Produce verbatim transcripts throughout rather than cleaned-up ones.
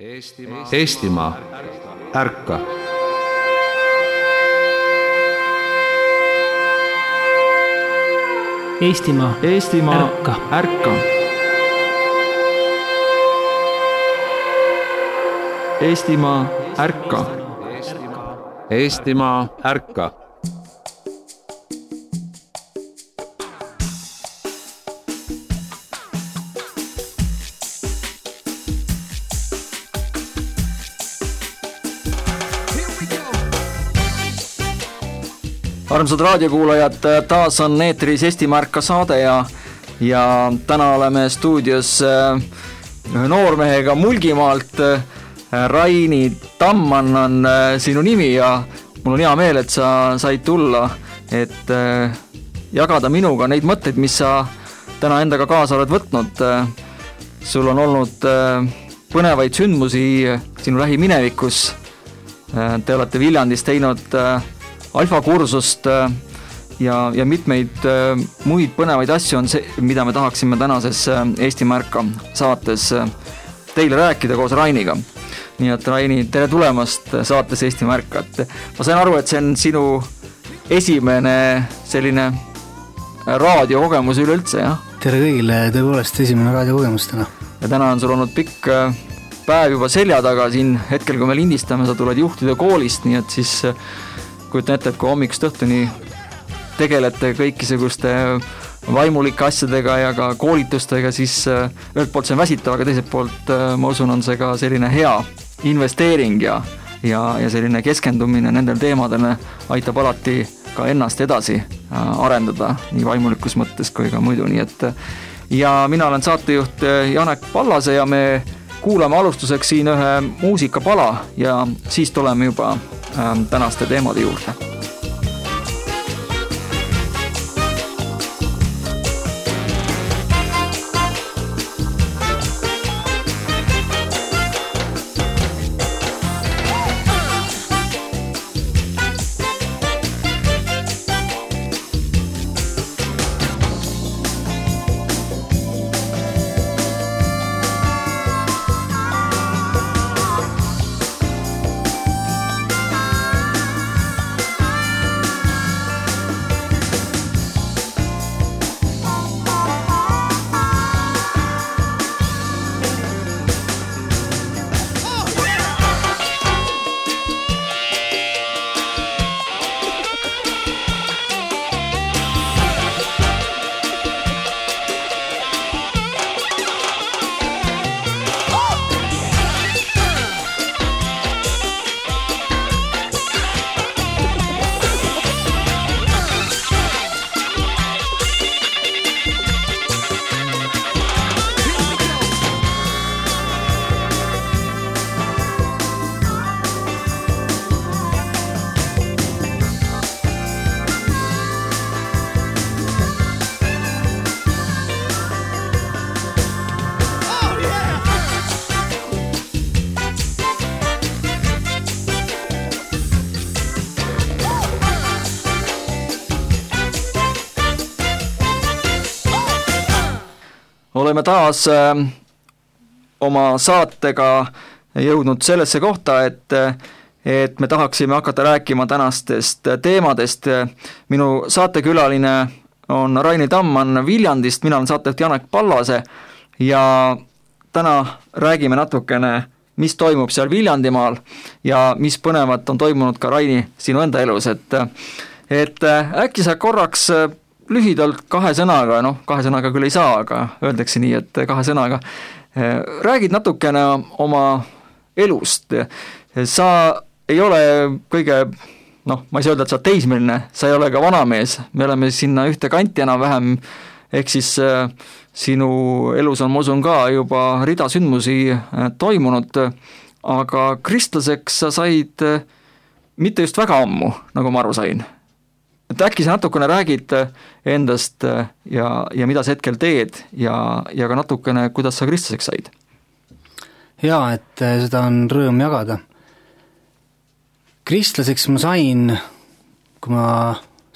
Eestimaa, Eestimaa, ärka! Eestimaa, Eestimaa, ärka! ärka! Eestimaa, ärka! Eestimaa, ärka! Armsad raadiokuulajad, taas on eetris Eestimaa ärka saade ja, ja täna oleme stuudios ühe noormehega Mulgimaalt. Raini Tammann on sinu nimi ja mul on hea meel, et sa said tulla, et jagada minuga neid mõtteid, mis sa täna endaga kaasa oled võtnud. Sul on olnud põnevaid sündmusi sinu lähiminevikus. Te olete Viljandis teinud alfakursust ja, ja mitmeid muid põnevaid asju on see, mida me tahaksime tänases Eestimaa ärka saates teile rääkida koos Rainiga. Nii et Raini, tere tulemast saates Eestimaa ärka. Ma sain aru, et see on sinu esimene selline raadiokogemus üleüldse, jah? Tere kõigile, tõepoolest esimene raadiokogemus täna. Ja täna on sul olnud pikk päev juba selja taga siin hetkel, kui me lindistame, sa tuled juhtide koolist, nii et siis kujutan ette, et kui hommikust õhtuni tegelete kõikisuguste vaimulike asjadega ja ka koolitustega, siis ühelt poolt see on väsitav, aga teiselt poolt ma usun, on see ka selline hea investeering ja, ja, ja selline keskendumine nendel teemadele aitab alati ka ennast edasi arendada nii vaimulikus mõttes kui ka muidu. Nii et, ja mina olen saatejuht Janek Pallase ja me kuulame alustuseks siin ühe muusikapala ja siis tuleme juba tänaste teemade juurde. Oleme taas äh, oma saatega jõudnud sellesse kohta, et, et me tahaksime hakata rääkima tänastest teemadest. Minu saatekülaline on Raini Tammann Viljandist, mina olen saatejuht Janek Pallase ja täna räägime natukene, mis toimub seal Viljandimaal ja mis põnevat on toimunud ka Raini sinu enda elus. Et, et äkki sa korraks lühidalt kahe sõnaga, noh kahe sõnaga küll ei saa, aga öeldakse nii, et kahe sõnaga räägid natukene oma elust. Sa ei ole kõige, noh ma ei saa öelda, et sa teismeline, sa ei ole ka vanamees, me oleme sinna ühte kanti enam vähem, ehk siis sinu elus on, ma usun ka juba rida sündmusi toimunud, aga kristlaseks sa said mitte just väga ammu, nagu ma aru sain. Et äkki sa natukene räägid endast ja, ja mida sa hetkel teed ja, ja ka natukene, kuidas sa kristlaseks said? Jaa, et seda on rõõm jagada. Kristlaseks ma sain, kui ma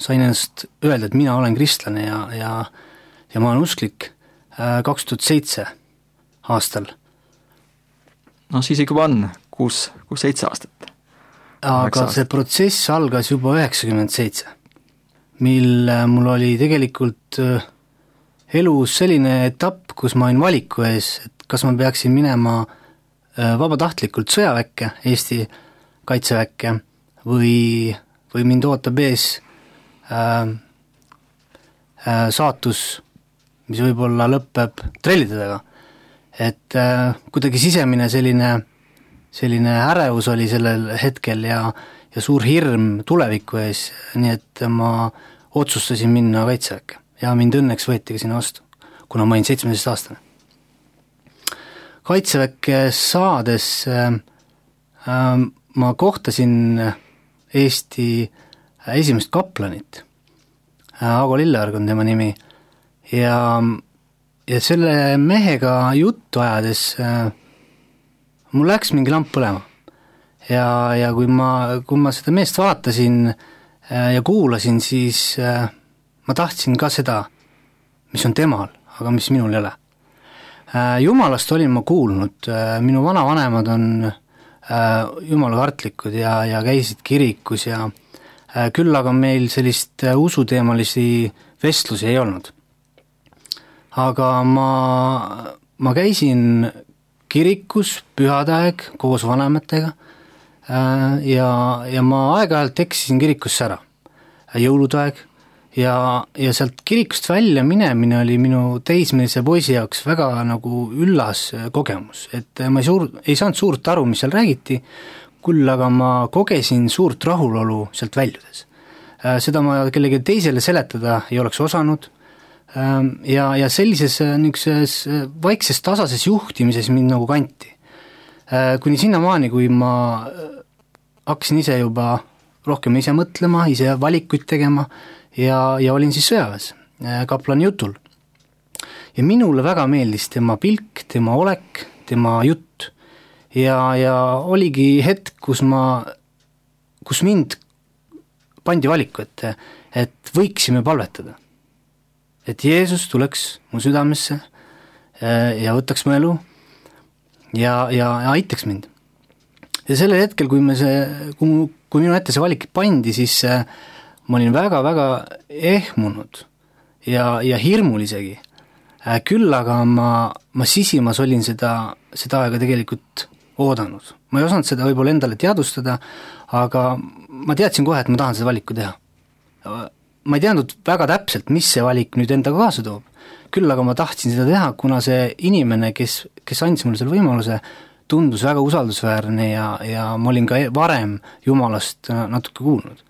sain ennast öelda, et mina olen kristlane ja, ja, ja ma olen usklik kaks tuhat seitse aastal. no siis ikka on kuus, kuus, seitse aastat. aga see protsess algas juba üheksakümmend seitse, mil mul oli tegelikult elus selline etapp, kus ma olin valiku ees, et kas ma peaksin minema vabatahtlikult sõjaväkke, Eesti kaitseväkke, või, või mind ootab ees äh, äh, saatus, mis võib-olla lõpeb trellidega. Et äh, kuidagi sisemine selline, selline ärevus oli sellel hetkel ja, ja suur hirm tuleviku ees, nii et ma otsustasin minna kaitseväkke ja mind õnneks võeti ka sinna vastu, kuna ma olin seitsmeteist aastane. Kaitseväkke saades äh, äh, ma kohtasin Eesti esimest kaplanit, Aago Lilleorg on tema nimi, ja, ja selle mehega juttu ajades äh, mul läks mingi lamp põlema. Ja, ja kui ma, kui ma seda meest vaatasin äh, ja kuulasin, siis äh, ma tahtsin ka seda, mis on temal, aga mis minul ei ole. Äh, Jumalast olin ma kuulnud, äh, minu vanavanemad on jumalakartlikud ja, ja käisid kirikus ja küll aga meil sellist usuteemalisi vestlusi ei olnud. Aga ma, ma käisin kirikus pühadaeg koos vanematega ja, ja ma aeg-ajalt eksisin kirikusse ära, jõuludaeg, ja, ja sealt kirikust välja minemine oli minu teismelise poisi jaoks väga nagu üllas kogemus, et ma ei, suur, ei saanud suurt aru, mis seal räägiti, küll aga ma kogesin suurt rahulolu sealt väljudes. Seda ma kellegi teisele seletada ei oleks osanud ja, ja sellises niisuguses vaikses tasases juhtimises mind nagu kanti. Kuni sinnamaani, kui ma hakkasin ise juba rohkem ise mõtlema, ise valikuid tegema, ja, ja olin siis sõjaväes kaplani jutul. Ja minule väga meeldis tema pilk, tema olek, tema jutt. Ja, ja oligi hetk, kus ma, kus mind pandi valiku, et, et võiksime palvetada. Et Jeesus tuleks mu südamesse ja võtaks mu elu ja, ja, ja aitaks mind. Ja sellel hetkel, kui, me see, kui, kui minu ette see valik pandi, siis ma olin väga-väga ehmunud ja, ja hirmul isegi. Küll aga ma, ma sisimas olin seda, seda aega tegelikult oodanud. Ma ei osanud seda võib-olla endale teadustada, aga ma teadsin kohe, et ma tahan seda valiku teha. Ma ei teadnud väga täpselt, mis see valik nüüd endaga kaasa toob. Küll aga ma tahtsin seda teha, kuna see inimene, kes, kes andis mulle selle võimaluse, tundus väga usaldusväärne ja, ja ma olin ka varem Jumalast natuke kuulnud.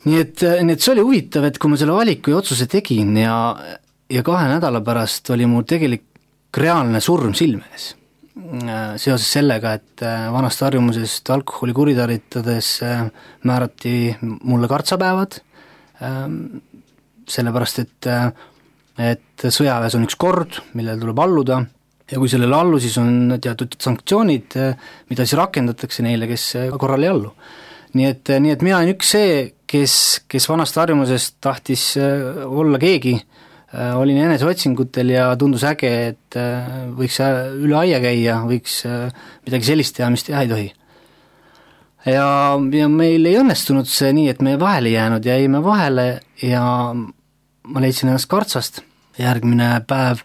Nii et, nii et see oli huvitav, et kui ma selle valiku ja otsuse tegin ja, ja kahe nädala pärast oli mu tegelik reaalne surm silmes. Seoses sellega, et vanast harjumusest alkoholi kuritarvitades määrati mulle kartsapäevad, sellepärast, et, et sõjaväes on üks kord, millele tuleb alluda, ja kui sellele allu, siis on teatud sanktsioonid, mida siis rakendatakse neile, kes korral ei allu. Nii et, nii et mina olen üks see, kes, kes vanast harjumusest tahtis olla keegi, olin eneseotsingutel ja tundus äge, et võiks üle aia käia, võiks midagi sellist teha, mis teha ei tohi. Ja, ja meil ei õnnestunud see nii, et me vahele jäänud ja jäime vahele ja ma leidsin ennast kartsast. Järgmine päev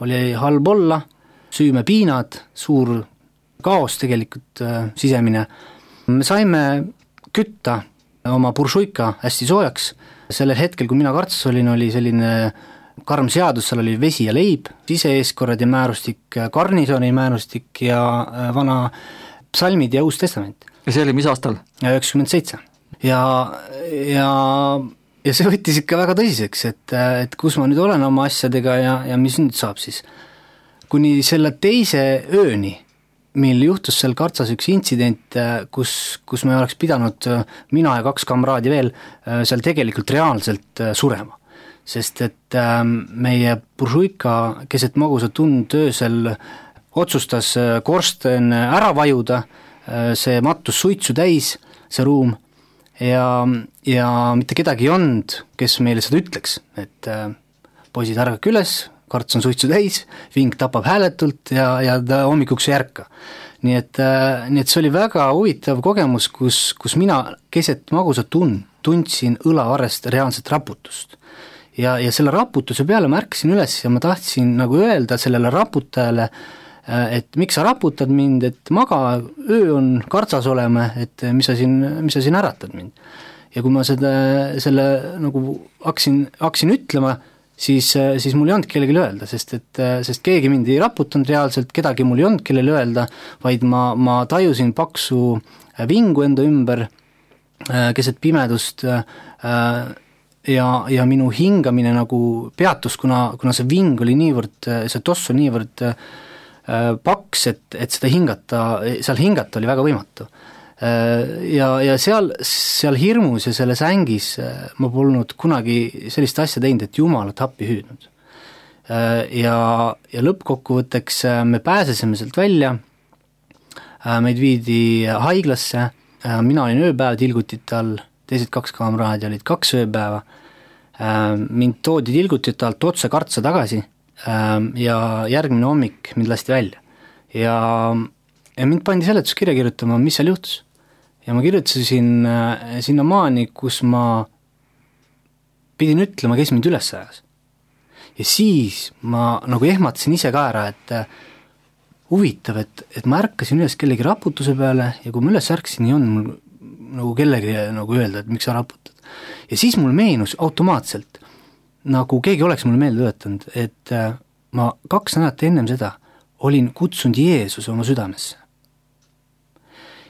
oli halb olla, süüme piinad, suur kaos tegelikult sisemine. Me saime kütta oma buršuika hästi soojaks. Sellel hetkel, kui mina kartsas olin, oli selline karm seadus, seal oli vesi ja leib, sise-eeskorrad ja määrustik, garnisoni määrustik ja vana psalmid ja uus testament. Ja see oli mis aastal? üheksakümmend seitse. Ja, ja, ja see võttis ikka väga tõsiseks, et, et kus ma nüüd olen oma asjadega ja, ja mis nüüd saab siis. Kuni selle teise ööni, mil juhtus seal kartsas üks intsident, kus, kus me oleks pidanud mina ja kaks kamraadi veel seal tegelikult reaalselt surema. Sest et meie buršuika keset magusat tund öösel otsustas korsten ära vajuda, see mattus suitsu täis, see ruum, ja, ja mitte kedagi ei olnud, kes meile seda ütleks, et poisid ärgake üles, karts on suitsu täis, ving tapab hääletult ja, ja ta hommikuks ei ärka. Nii et, nii et see oli väga huvitav kogemus, kus, kus mina keset magusat tund, tundsin õlavarrest reaalset raputust. Ja, ja selle raputuse peale ma ärkasin üles ja ma tahtsin nagu öelda sellele raputajale, et miks sa raputad mind, et maga, öö on kartsas olema, et mis sa siin, mis sa siin äratad mind. Ja kui ma seda, selle nagu hakkasin, hakkasin ütlema, siis, siis mul ei olnud kellelegi öelda, sest, et, sest keegi mind ei raputanud reaalselt, kedagi mul ei olnud kellele öelda, vaid ma, ma tajusin paksu vingu enda ümber keset pimedust ja, ja minu hingamine nagu peatus, kuna, kuna see ving oli niivõrd, see toss oli niivõrd paks, et, et seda hingata, seal hingata oli väga võimatu. Ja, ja seal, seal hirmus ja selles ängis ma polnud kunagi sellist asja teinud, et Jumalat appi hüüdnud. Ja, ja lõppkokkuvõtteks me pääsesime sealt välja, meid viidi haiglasse, mina olin ööpäev tilgutite all, teised kaks kaamraadi olid kaks ööpäeva, mind toodi tilgutite alt otse kartsa tagasi ja järgmine hommik mind lasti välja. Ja, ja mind pandi seletuskirja kirjutama, mis seal juhtus. Ja ma kirjutasin sinna maani, kus ma pidin ütlema, kes mind üles ajas. Ja siis ma nagu ehmatasin ise ka ära, et huvitav, et, et ma ärkasin üles kellegi raputuse peale ja kui ma üles ärkasin, ei olnud mul nagu kellegi nagu öelda, et miks sa raputad. Ja siis mul meenus automaatselt, nagu keegi oleks mulle meelde töötanud, et ma kaks nädalat ennem seda olin kutsunud Jeesuse oma südamesse.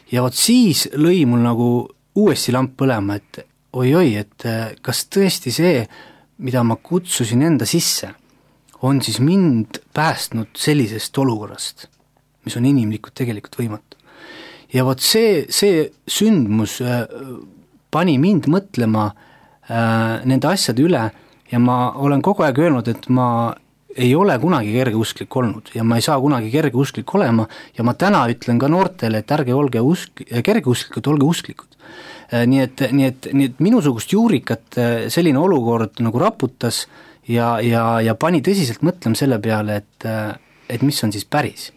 Ja vot siis lõi mul nagu uuesti lamp põlema, et oi-oi, et kas tõesti see, mida ma kutsusin enda sisse, on siis mind päästnud sellisest olukorrast, mis on inimlikult tegelikult võimatu. Ja vot see, see sündmus pani mind mõtlema äh, nende asjade üle ja ma olen kogu aeg öelnud, et ma ei ole kunagi kergeusklik olnud ja ma ei saa kunagi kergeusklik olema ja ma täna ütlen ka noortele, et ärge olge usk, kergeusklikud, olge usklikud. Nii et, nii, et, nii et minusugust juurikat selline olukord nagu raputas ja, ja, ja pani tõsiselt mõtlema selle peale, et, et mis on siis päris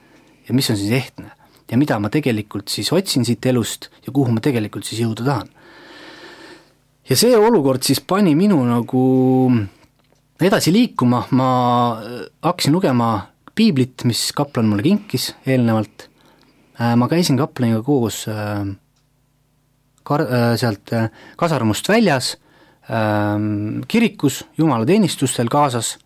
ja mis on siis ehtne ja mida ma tegelikult siis otsin siit elust ja kuhu ma tegelikult siis jõuda tahan. Ja see olukord siis pani minu nagu edasi liikuma, ma hakkasin lugema piiblit, mis kaplan mulle kinkis eelnevalt. Ma käisin kaplaniga koos kar- sealt kasarmust väljas, kirikus, jumalateenistustel kaasas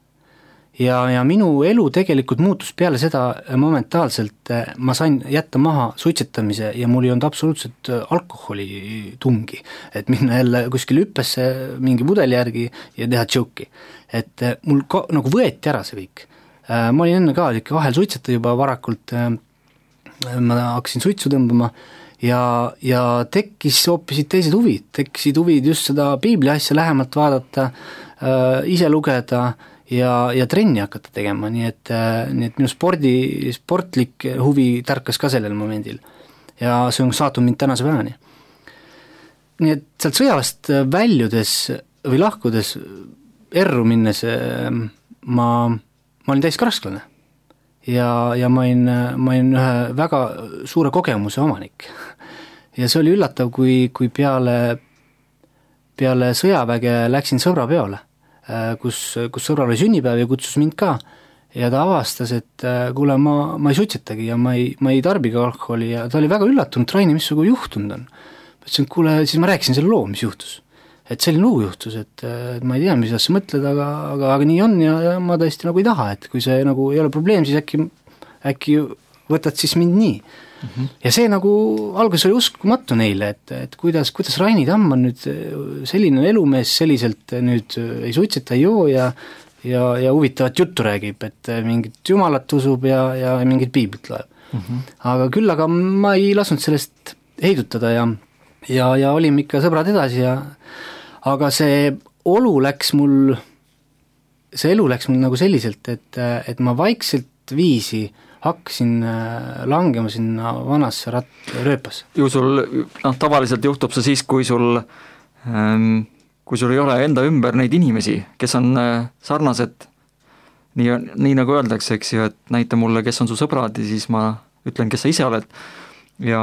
ja, ja minu elu tegelikult muutus peale seda momentaalselt, ma sain jätta maha suitsetamise ja mul ei olnud absoluutselt alkoholi tungi, et minna jälle kuskil hüppesse mingi pudeli järgi ja teha tšoki. Et mul ka, nagu võeti ära see kõik. Ma olin enne ka ikka vahel suitseta juba varakult, ma hakkasin suitsu tõmbama ja, ja tekkis hoopisid teised huvid, tekkisid huvid just seda piibli asja lähemalt vaadata, ise lugeda ja, ja trenni hakata tegema, nii et, nii et minu spordi, sportlik huvi tärkas ka sellel momendil ja see on saatnud mind tänase päevani. Nii et sealt sõjavast väljudes või lahkudes erru minnes ma, ma olin täiskasvanu ja, ja ma olin, ma olin ühe väga suure kogemuse omanik ja see oli üllatav, kui, kui peale, peale sõjaväge läksin sõbra peole, kus, kus sõbral oli sünnipäev ja kutsus mind ka ja ta avastas, et kuule, ma, ma ei suitsetagi ja ma ei, ma ei tarbigi alkoholi ja ta oli väga üllatunud, Raini, mis sugu juhtunud on. Ma ütlesin, kuule, siis ma rääkisin selle loo, mis juhtus. Et selline lugu juhtus, et, et ma ei tea, mis sa mõtled, aga, aga, aga nii on ja, ja ma tõesti nagu ei taha, et kui see nagu ei ole probleem, siis äkki, äkki võtad siis mind nii. Mm-hmm. Ja see nagu alguses oli uskumatu neile, et, et kuidas, kuidas Raini Tamm on nüüd selline elumees selliselt nüüd ei suitseta, ei joo ja, ja, ja huvitavat juttu räägib, et mingit jumalat usub ja, ja mingit piiblit loeb. Mm-hmm. Aga küll, aga ma ei lasknud sellest heidutada ja, ja, ja olime ikka sõbrad edasi ja aga see olu läks mul, see elu läks mul nagu selliselt, et, et ma vaikselt viisi hakkasin langema sinna vanasse rat-, rööpasse. Ju sul, noh, tavaliselt juhtub see siis, kui sul, kui sul ei ole enda ümber neid inimesi, kes on sarnased nii, nii nagu öeldakse, eks ju, et näita mulle, kes on su sõbrad ja siis ma ütlen, kes sa ise oled ja,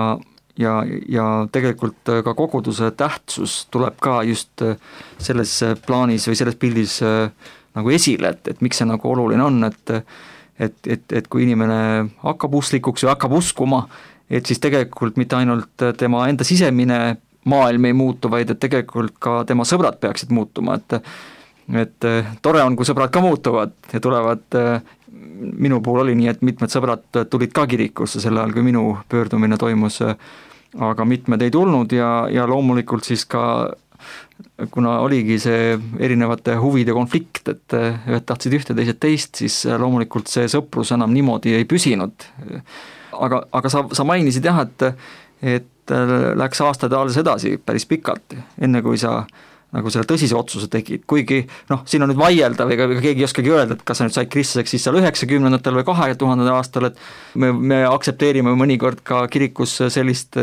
ja, ja tegelikult ka koguduse tähtsus tuleb ka just selles plaanis või selles pildis nagu esile, et, et miks see nagu oluline on, et et, et, et kui inimene hakkab usklikuks või hakkab uskuma, et siis tegelikult mitte ainult tema enda sisemine maailm ei muutu, vaid et tegelikult ka tema sõbrad peaksid muutuma, et et tore on, kui sõbrad ka muutuvad ja tulevad, minu puhul oli nii, et mitmed sõbrad tulid ka kirikusse sel ajal, kui minu pöördumine toimus, aga mitmed ei tulnud ja, ja loomulikult siis ka, kuna oligi see erinevate huvide konflikt, et ühed tahtsid ühte, teised teist, siis loomulikult see sõprus enam niimoodi ei püsinud. Aga, aga sa, sa mainisid jah, et, et läks aastad alles edasi päris pikalt, enne kui sa nagu selle tõsise otsuse tegid, kuigi noh, siin on nüüd vaielda või keegi ei oskagi öelda, et kas sa nüüd said kristlaseks siis seal üheksakümnendatel või kahe tuhandendal aastal, et me, me aktsepteerime mõnikord ka kirikus sellist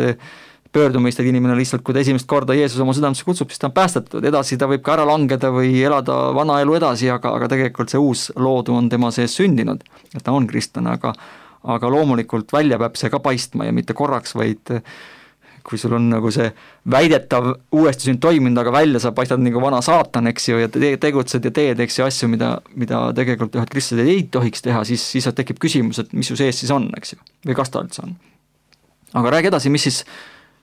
pöördumist, et inimene lihtsalt, kui ta esimest korda Jeesus oma südamesse kutsub, siis ta on päästetud, edasi ta võib ka ära langeda või elada vana elu edasi, aga, aga tegelikult see uus loodu on tema sees sündinud, et ta on kristlane, aga, aga loomulikult välja peab see ka paistma ja mitte korraks, vaid kui sul on nagu see väidetav uuesti sünd toiminud, aga välja sa paistad nagu vana saatan, eks ju, ja te tegutsed ja teed, eks ju, asju, mida, mida tegelikult ühed kristlased ei tohiks teha, siis, siis tekib küsimus, et mis su sees siis on, eks ju, või kas ta üldse on. Aga räägi edasi, mis siis,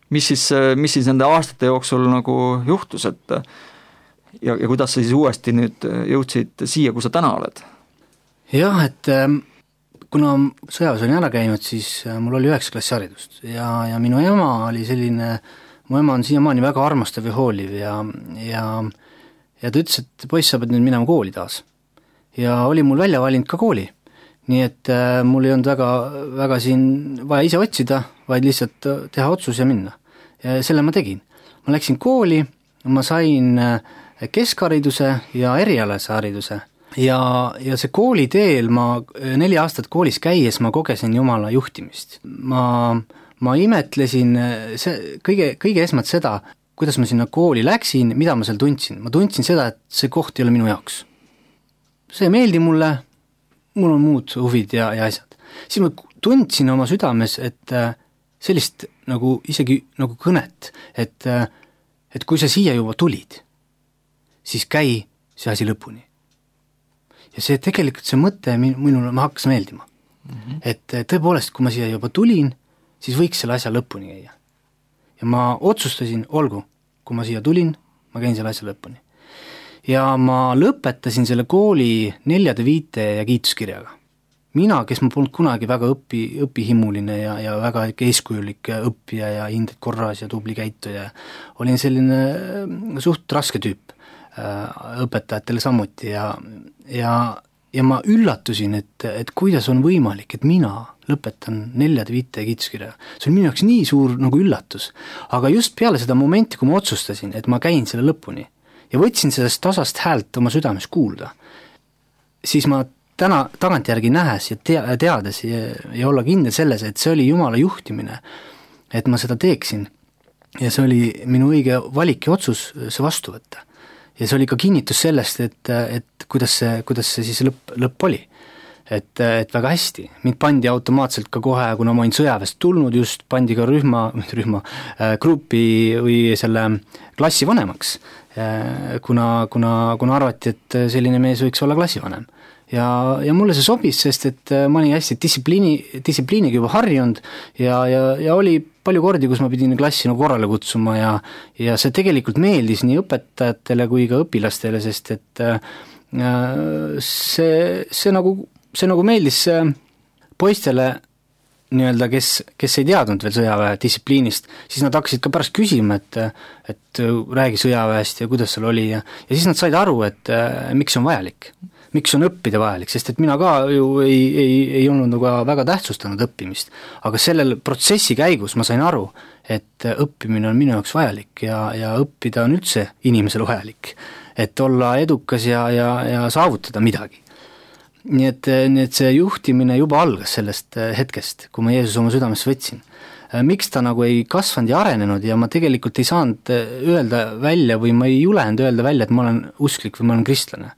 mis siis, mis siis nende aastate jooksul nagu juhtus, et ja, ja kuidas sa siis uuesti nüüd jõudsid siia, kus sa täna oled? Jah, et kuna sõjaväes olin ära käinud, siis mul oli üheksa klassi haridust ja, ja minu ema oli selline, mu ema on siiamaani väga armastav ja hooliv ja, ja, ja ta ütles, et poiss, sa pead nüüd minema kooli taas. Ja oli mul välja valinud ka kooli. Nii et äh, mul ei olnud väga, väga siin vaja ise otsida, vaid lihtsalt teha otsus ja minna. Ja selle ma tegin. Ma läksin kooli, ma sain keskhariduse ja erialase hariduse. Ja, ja see kooli teel, ma neli aastat koolis käies, ma kogesin Jumala juhtimist. Ma, ma imetlesin see, kõige, kõige esmalt seda, kuidas ma sinna kooli läksin, mida ma seal tundsin. Ma tundsin seda, et see koht ei ole minu jaoks. See ei meeldi mulle, mul on muud huvid ja, ja asjad. Siis ma tundsin oma südames, et sellist nagu isegi nagu kõnet, et, et kui sa siia juba tulid, siis käi see asi lõpuni. Ja see tegelikult see mõte minule ma hakkas meeldima. Mm-hmm. Et tõepoolest, kui ma siia juba tulin, siis võiks selle asja lõpuni käia. Ja ma otsustasin, olgu, kui ma siia tulin, ma käin selle asja lõpuni. Ja ma lõpetasin selle kooli neljade viite ja kiituskirjaga. Mina, kes ma polnud kunagi väga õpi, õpihimuline ja, ja väga eeskujulik õppija ja hinded korras ja tubli käituja, olin selline suht raske tüüp õpetajatele samuti ja, ja, ja ma üllatusin, et, et kuidas on võimalik, et mina lõpetan neljade viite kiituskirja. See on minu jaoks nii suur nagu üllatus, aga just peale seda momenti, kui ma otsustasin, et ma käin selle lõpuni ja võtsin sellest tasast häält oma südames kuulda, siis ma täna tagantjärgi nähes ja te, teades ja, ja olla kindel selles, et see oli Jumala juhtimine, et ma seda teeksin ja see oli minu õige valik ja otsus see vastu võtta. Ja see oli ka kinnitus sellest, et, et kuidas see, kuidas see siis lõpp, lõpp oli. Et, et väga hästi. Mind pandi automaatselt ka kohe, kuna ma olin sõjaväest tulnud, just pandi ka rühma, rühma äh, grupi või selle klassi vanemaks, äh, kuna, kuna, kuna arvati, et selline mees võiks olla klassivanem. Ja, ja mulle see sobis, sest et ma olin hästi distsipliini, distsipliiniga juba harjunud ja, ja, ja oli palju kordi, kus ma pidin klassi nagu korrale kutsuma ja, ja see tegelikult meeldis nii õpetajatele kui ka õpilastele, sest et see, see, nagu, see nagu meeldis poistele nii-öelda, kes, kes ei teadnud veel sõjaväe distsipliinist, siis nad hakkasid ka pärast küsima, et, et räägi sõjaväest ja kuidas seal oli ja, ja siis nad said aru, et miks on vajalik. Miks on õppida vajalik, sest et mina ka ju ei, ei, ei olnud nagu väga tähtsustanud õppimist, aga sellel protsessi käigus ma sain aru, et õppimine on minu jaoks vajalik ja, ja õppida on üldse inimesel vajalik, et olla edukas ja, ja, ja saavutada midagi. Nii et, nii et see juhtimine juba algas sellest hetkest, kui ma Jeesus oma südames võtsin. Miks ta nagu ei kasvanud ja arenenud ja ma tegelikult ei saanud öelda välja või ma ei julenud öelda välja, et ma olen usklik või ma olen kristlane.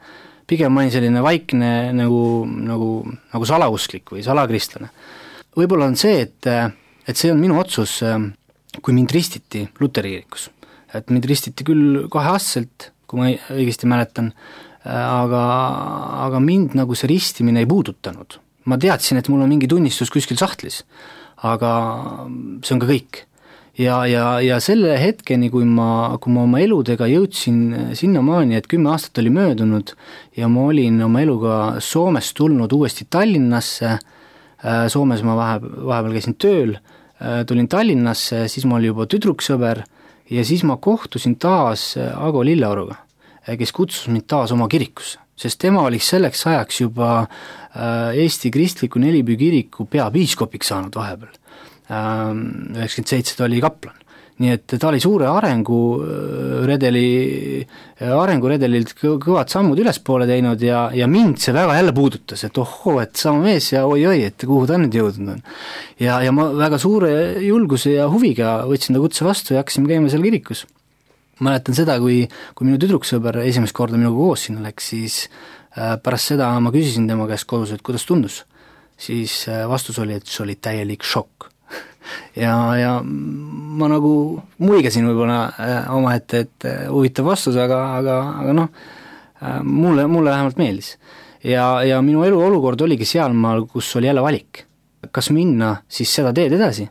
pigem ma olin selline vaikne nagu, nagu, nagu salausklik või salakristlane. Võib-olla on see, et, et see on minu otsus, kui mind ristiti Luteri kirikus. Et mind ristiti küll kaheaastaselt, kui ma õigesti mäletan, aga, aga mind nagu see ristimine ei puudutanud. Ma teadsin, et mul on mingi tunnistus kuskil sahtlis, aga see on ka kõik. Ja, ja, ja selle hetkeni, kui ma, kui ma oma eludega jõudsin sinnamaani, et kümme aastat oli möödunud ja ma olin oma eluga Soomest tulnud uuesti Tallinnasse, Soomes ma vahe, vahepeal käisin tööl, tulin Tallinnasse, siis ma olin juba tüdruksõber ja siis ma kohtusin taas Ago Lilleoruga, kes kutsus mind taas oma kirikusse, sest tema oli selleks ajaks juba Eesti Kristliku Nelipüü kiriku peapiiskopiks saanud vahepeal. üheksakümmend seitse ta oli kaplan. Nii et ta oli suure arengu redeli, arenguredelilt kõvad sammud ülespoole teinud ja, ja mind see väga jälle puudutas, et ohoo, et sama mees ja oi-oi, et kuhu ta nüüd jõudnud on. Ja, ja ma väga suure julguse ja huviga võtsin ta kutse vastu ja hakkasime käima seal kirikus. Mäletan seda, kui, kui minu tüdruksõber esimest korda minuga koos sinna läks, siis pärast seda ma küsisin tema käest kodus, et kuidas tundus. Siis vastus oli, et see oli täielik šokk. Ja, ja ma nagu muigasin võib-olla oma ette, et huvitav vastus, aga, aga, aga noh, mulle, mulle vähemalt meeldis. Ja, ja minu elu olukord oligi sealmaal, kus oli jälle valik. Kas minna siis seda teed edasi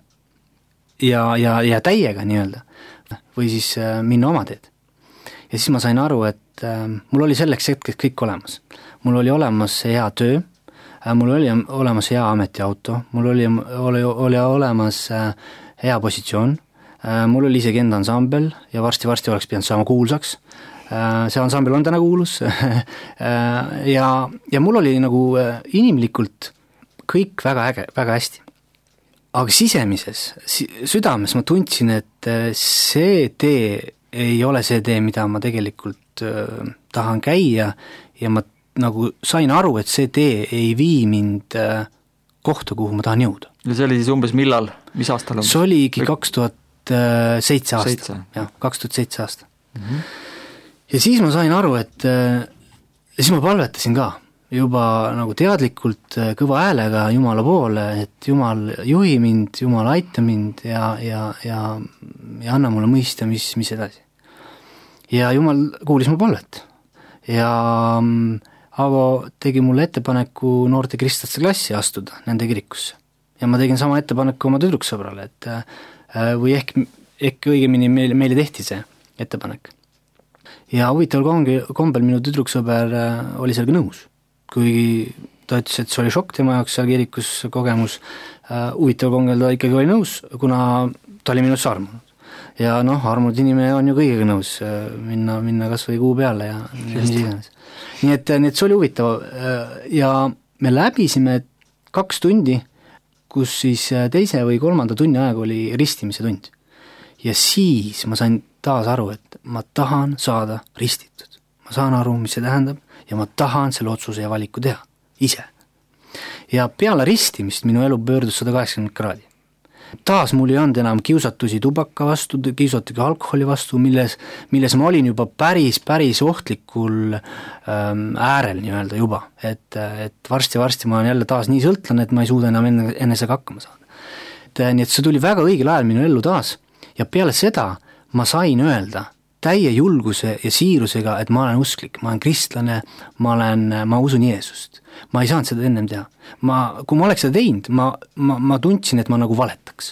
ja, ja, ja täiega nii-öelda või siis minna oma teed. Ja siis ma sain aru, et mul oli selleks hetkeks kõik olemas. Mul oli olemas hea töö, mul oli olemas hea ametiauto, mul oli, oli, oli olemas hea positsioon, mul oli isegi enda ansambel ja varsti-varsti oleks pidanud saama kuulsaks, see ansambel on täna kuulus ja, ja mul oli nagu inimlikult kõik väga äge, väga hästi. Aga sisemises, südames ma tundsin, et see tee ei ole see tee, mida ma tegelikult tahan käia ja ma nagu sain aru, et see tee ei vii mind kohta, kuhu ma tahan jõuda. Ja see oli siis umbes millal? Mis aastal umbes? See oligi kaks tuhat seitse aasta. Jah, kaks tuhat seitse aasta. Mm-hmm. Ja siis ma sain aru, et ja siis ma palvetasin ka juba nagu teadlikult kõva häälega Jumala poole, et Jumal juhi mind, Jumal aita mind ja, ja, ja, ja anna mulle mõista, mis, mis edasi. Ja Jumal kuulis mu palvet. Ja Ago tegi mulle ettepaneku noorte kristlaste klassi astuda nende kirikusse. Ja ma tegin sama ettepaneku oma tüdruksõbrale, et või ehk, ehk õigemini meile, meile tehti see ettepanek. Ja huvitaval kombel minu tüdruksõber oli sellega nõus, kuigi ta ütles, et see oli šokk tema jaoks seal kirikus kogemus. Huvitaval kombel ta ikkagi oli nõus, kuna ta oli minust armunud. Ja noh, armunud inimene on ju kõigega nõus minna, minna kas või kuu peale ja mis iganes. Nii et, nii et see oli huvitav ja me läbisime kaks tundi, kus siis teise või kolmanda tunni aeg oli ristimise tund. Ja siis ma sain taas aru, et ma tahan saada ristitud. Ma saan aru, mis see tähendab ja ma tahan selle otsuse ja valiku teha, ise. Ja peale ristimist minu elu pöördus sada kaheksakümmend kraadi. Taas mul ei olnud enam kiusatusi tubaka vastu, kiusatugi alkoholi vastu, milles, milles ma olin juba päris, päris ohtlikul ähm, äärel nii-öelda juba, et, et varsti-varsti ma olen jälle taas nii sõltlane, et ma ei suuda enam enne, enesega hakkama saada. Et, nii et see tuli väga õigel ajal minu ellu taas ja peale seda ma sain öelda täie julguse ja siirusega, et ma olen usklik, ma olen kristlane, ma, olen, ma usun Jeesust. Ma ei saanud seda ennem teha. Ma, kui ma oleks seda teinud, ma, ma, ma tundsin, et ma nagu valetaks.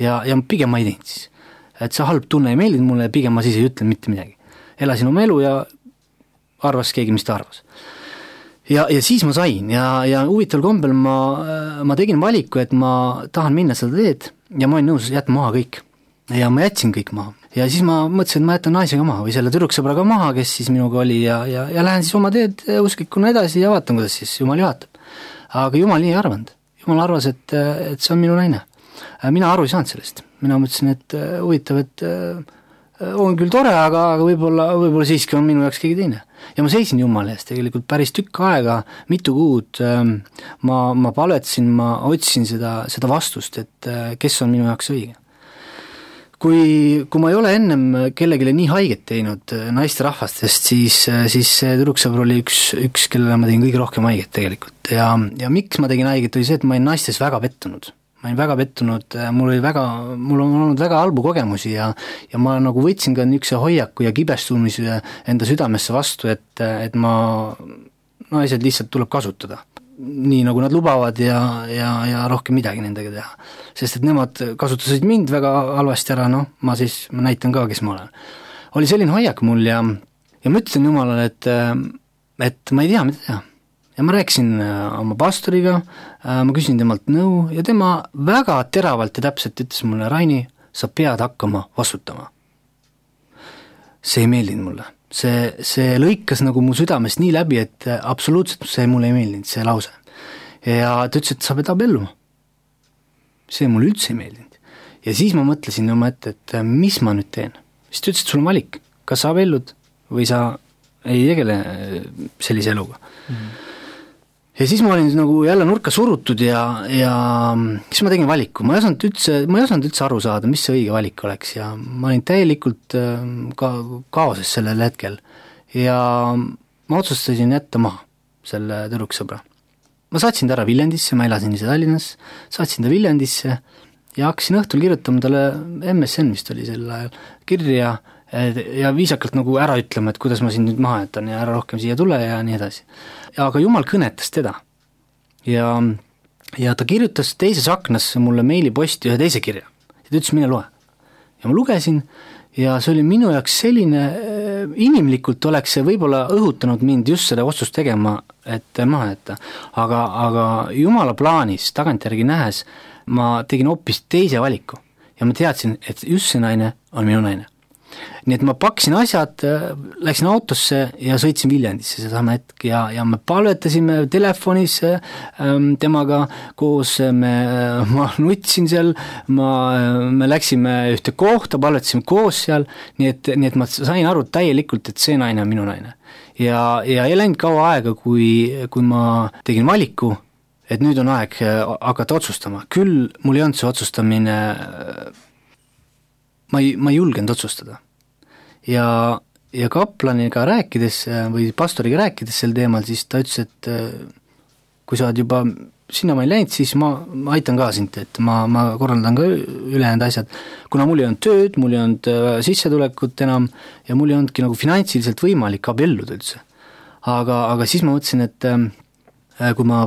Ja, ja pigem ma ei teinud siis. Et see halb tunne ei meeldinud mulle ja pigem ma siis ei ütlen mitte midagi. Elasin oma elu ja arvas keegi, mis ta arvas. Ja, ja siis ma sain ja, ja huvitaval kombel ma, ma tegin valiku, et ma tahan minna seda teed ja ma olin nõus jätma maha kõik. Ja ma jätsin kõik maha. Ja siis ma mõtlesin, et ma jätan naisega maha või selle tüdruksõbraga maha, kes siis minuga oli ja, ja, ja lähen siis oma teed usklikuna edasi ja vaatan, kuidas siis Jumal juhatab. Aga Jumal nii ei arvanud. Jumal arvas, et, et see on minu naine. Mina aru ei saanud sellest. Mina mõtlesin, et huvitav, et on küll tore, aga, aga võib-olla, võib-olla siiski on minu jaoks keegi teine. Ja ma seisin Jumala eest tegelikult päris tükk aega, mitu kuud. Ma, ma palvetasin, ma otsisin seda, seda vastust, et kes on minu jaoks õige. kui, kui ma ei ole ennem kellegile nii haiget teinud naisterahvastest, siis, siis see tüdruksõber oli üks, üks, kellele ma tegin kõige rohkem haiget tegelikult ja, ja miks ma tegin haiget, oli see, et ma olin naistes väga pettunud. Ma olin väga pettunud, mul oli väga, mul on olnud väga halbu kogemusi ja, ja ma nagu võtsin ka niisuguse hoiaku ja kibestumise enda südamesse vastu, et, et ma, naised lihtsalt tuleb kasutada. Nii nagu nad lubavad ja, ja, ja rohkem midagi nendega teha. Sest et nemad kasutasid mind väga halvasti ära, noh, ma siis ma näitan ka, kes ma olen. Oli selline hoiak mul ja, ja ma ütlesin Jumalale, et, et ma ei tea, mida teha. Ja ma rääkisin oma pastoriga, ma küsin temalt nõu ja tema väga teravalt ja täpselt ütles mulle, Raini, sa pead hakkama vastutama. See ei meeldinud mulle. See, see lõikas nagu mu südamest nii läbi, et absoluutselt see mulle ei meeldinud, see lause. Ja ta ütles, et sa pead abelluma. See mulle üldse ei meeldinud. Ja siis ma mõtlesin oma ette, et mis ma nüüd teen. Siis ta ütles, et sul on valik, kas sa abellud või sa ei tegele sellise eluga. Mm. Ja siis ma olin nagu jälle nurka surutud ja, ja siis ma tegin valiku. Ma ei osanud üldse, ma ei osanud üldse aru saada, mis see õige valik oleks ja ma olin täielikult ka kaoses sellel hetkel. Ja ma otsustasin jätta maha selle tüdruksõbra. Ma saatsin ta ära Viljandisse, ma elasin ise Tallinnas, saatsin ta Viljandisse ja hakkasin õhtul kirjutama talle M S N, vist oli sel ajal, kirja ja viisakalt nagu ära ütlema, et kuidas ma siin nüüd maha jätan ja ära rohkem siia tule ja nii edasi. Aga Jumal kõnetas teda ja, ja ta kirjutas teises aknas mulle meiliposti ühe teise kirja ja ta ütles, mine loe. Ja ma lugesin ja see oli minu jaoks selline, inimlikult oleks see võib-olla õhutanud mind just seda otsust tegema, et maha jätta. Aga, aga Jumala plaanis tagantjärgi nähes ma tegin hoopis teise valiku ja ma teadsin, et just see naine on minu naine. Nii et ma paksin asjad, läksin autosse ja sõitsin Viljandisse sedama hetk ja, ja me palvetasime telefonis ähm, temaga koos, me, ma nutsin seal, ma, me läksime ühte kohta, palvetasime koos seal, nii et, nii et ma sain aru täielikult, et see naine on minu naine. Ja, ja ei läinud kaua aega, kui, kui ma tegin valiku, et nüüd on aeg hakata otsustama. Küll mul ei olnud see otsustamine, ma ei, ma ei julgenud otsustada. Ja, ja kaplaniga rääkides või pastoriga rääkides sel teemal, siis ta ütles, et kui sa oled juba sinna ma ei läinud, siis ma, ma aitan ka sind, et ma, ma korraldan ka ülejäänud asjad. Kuna mul ei olnud tööd, mul ei olnud sissetulekut enam ja mul ei olnudki nagu finantsiliselt võimalik abelluda üldse. Aga, aga siis ma mõtlesin, et kui ma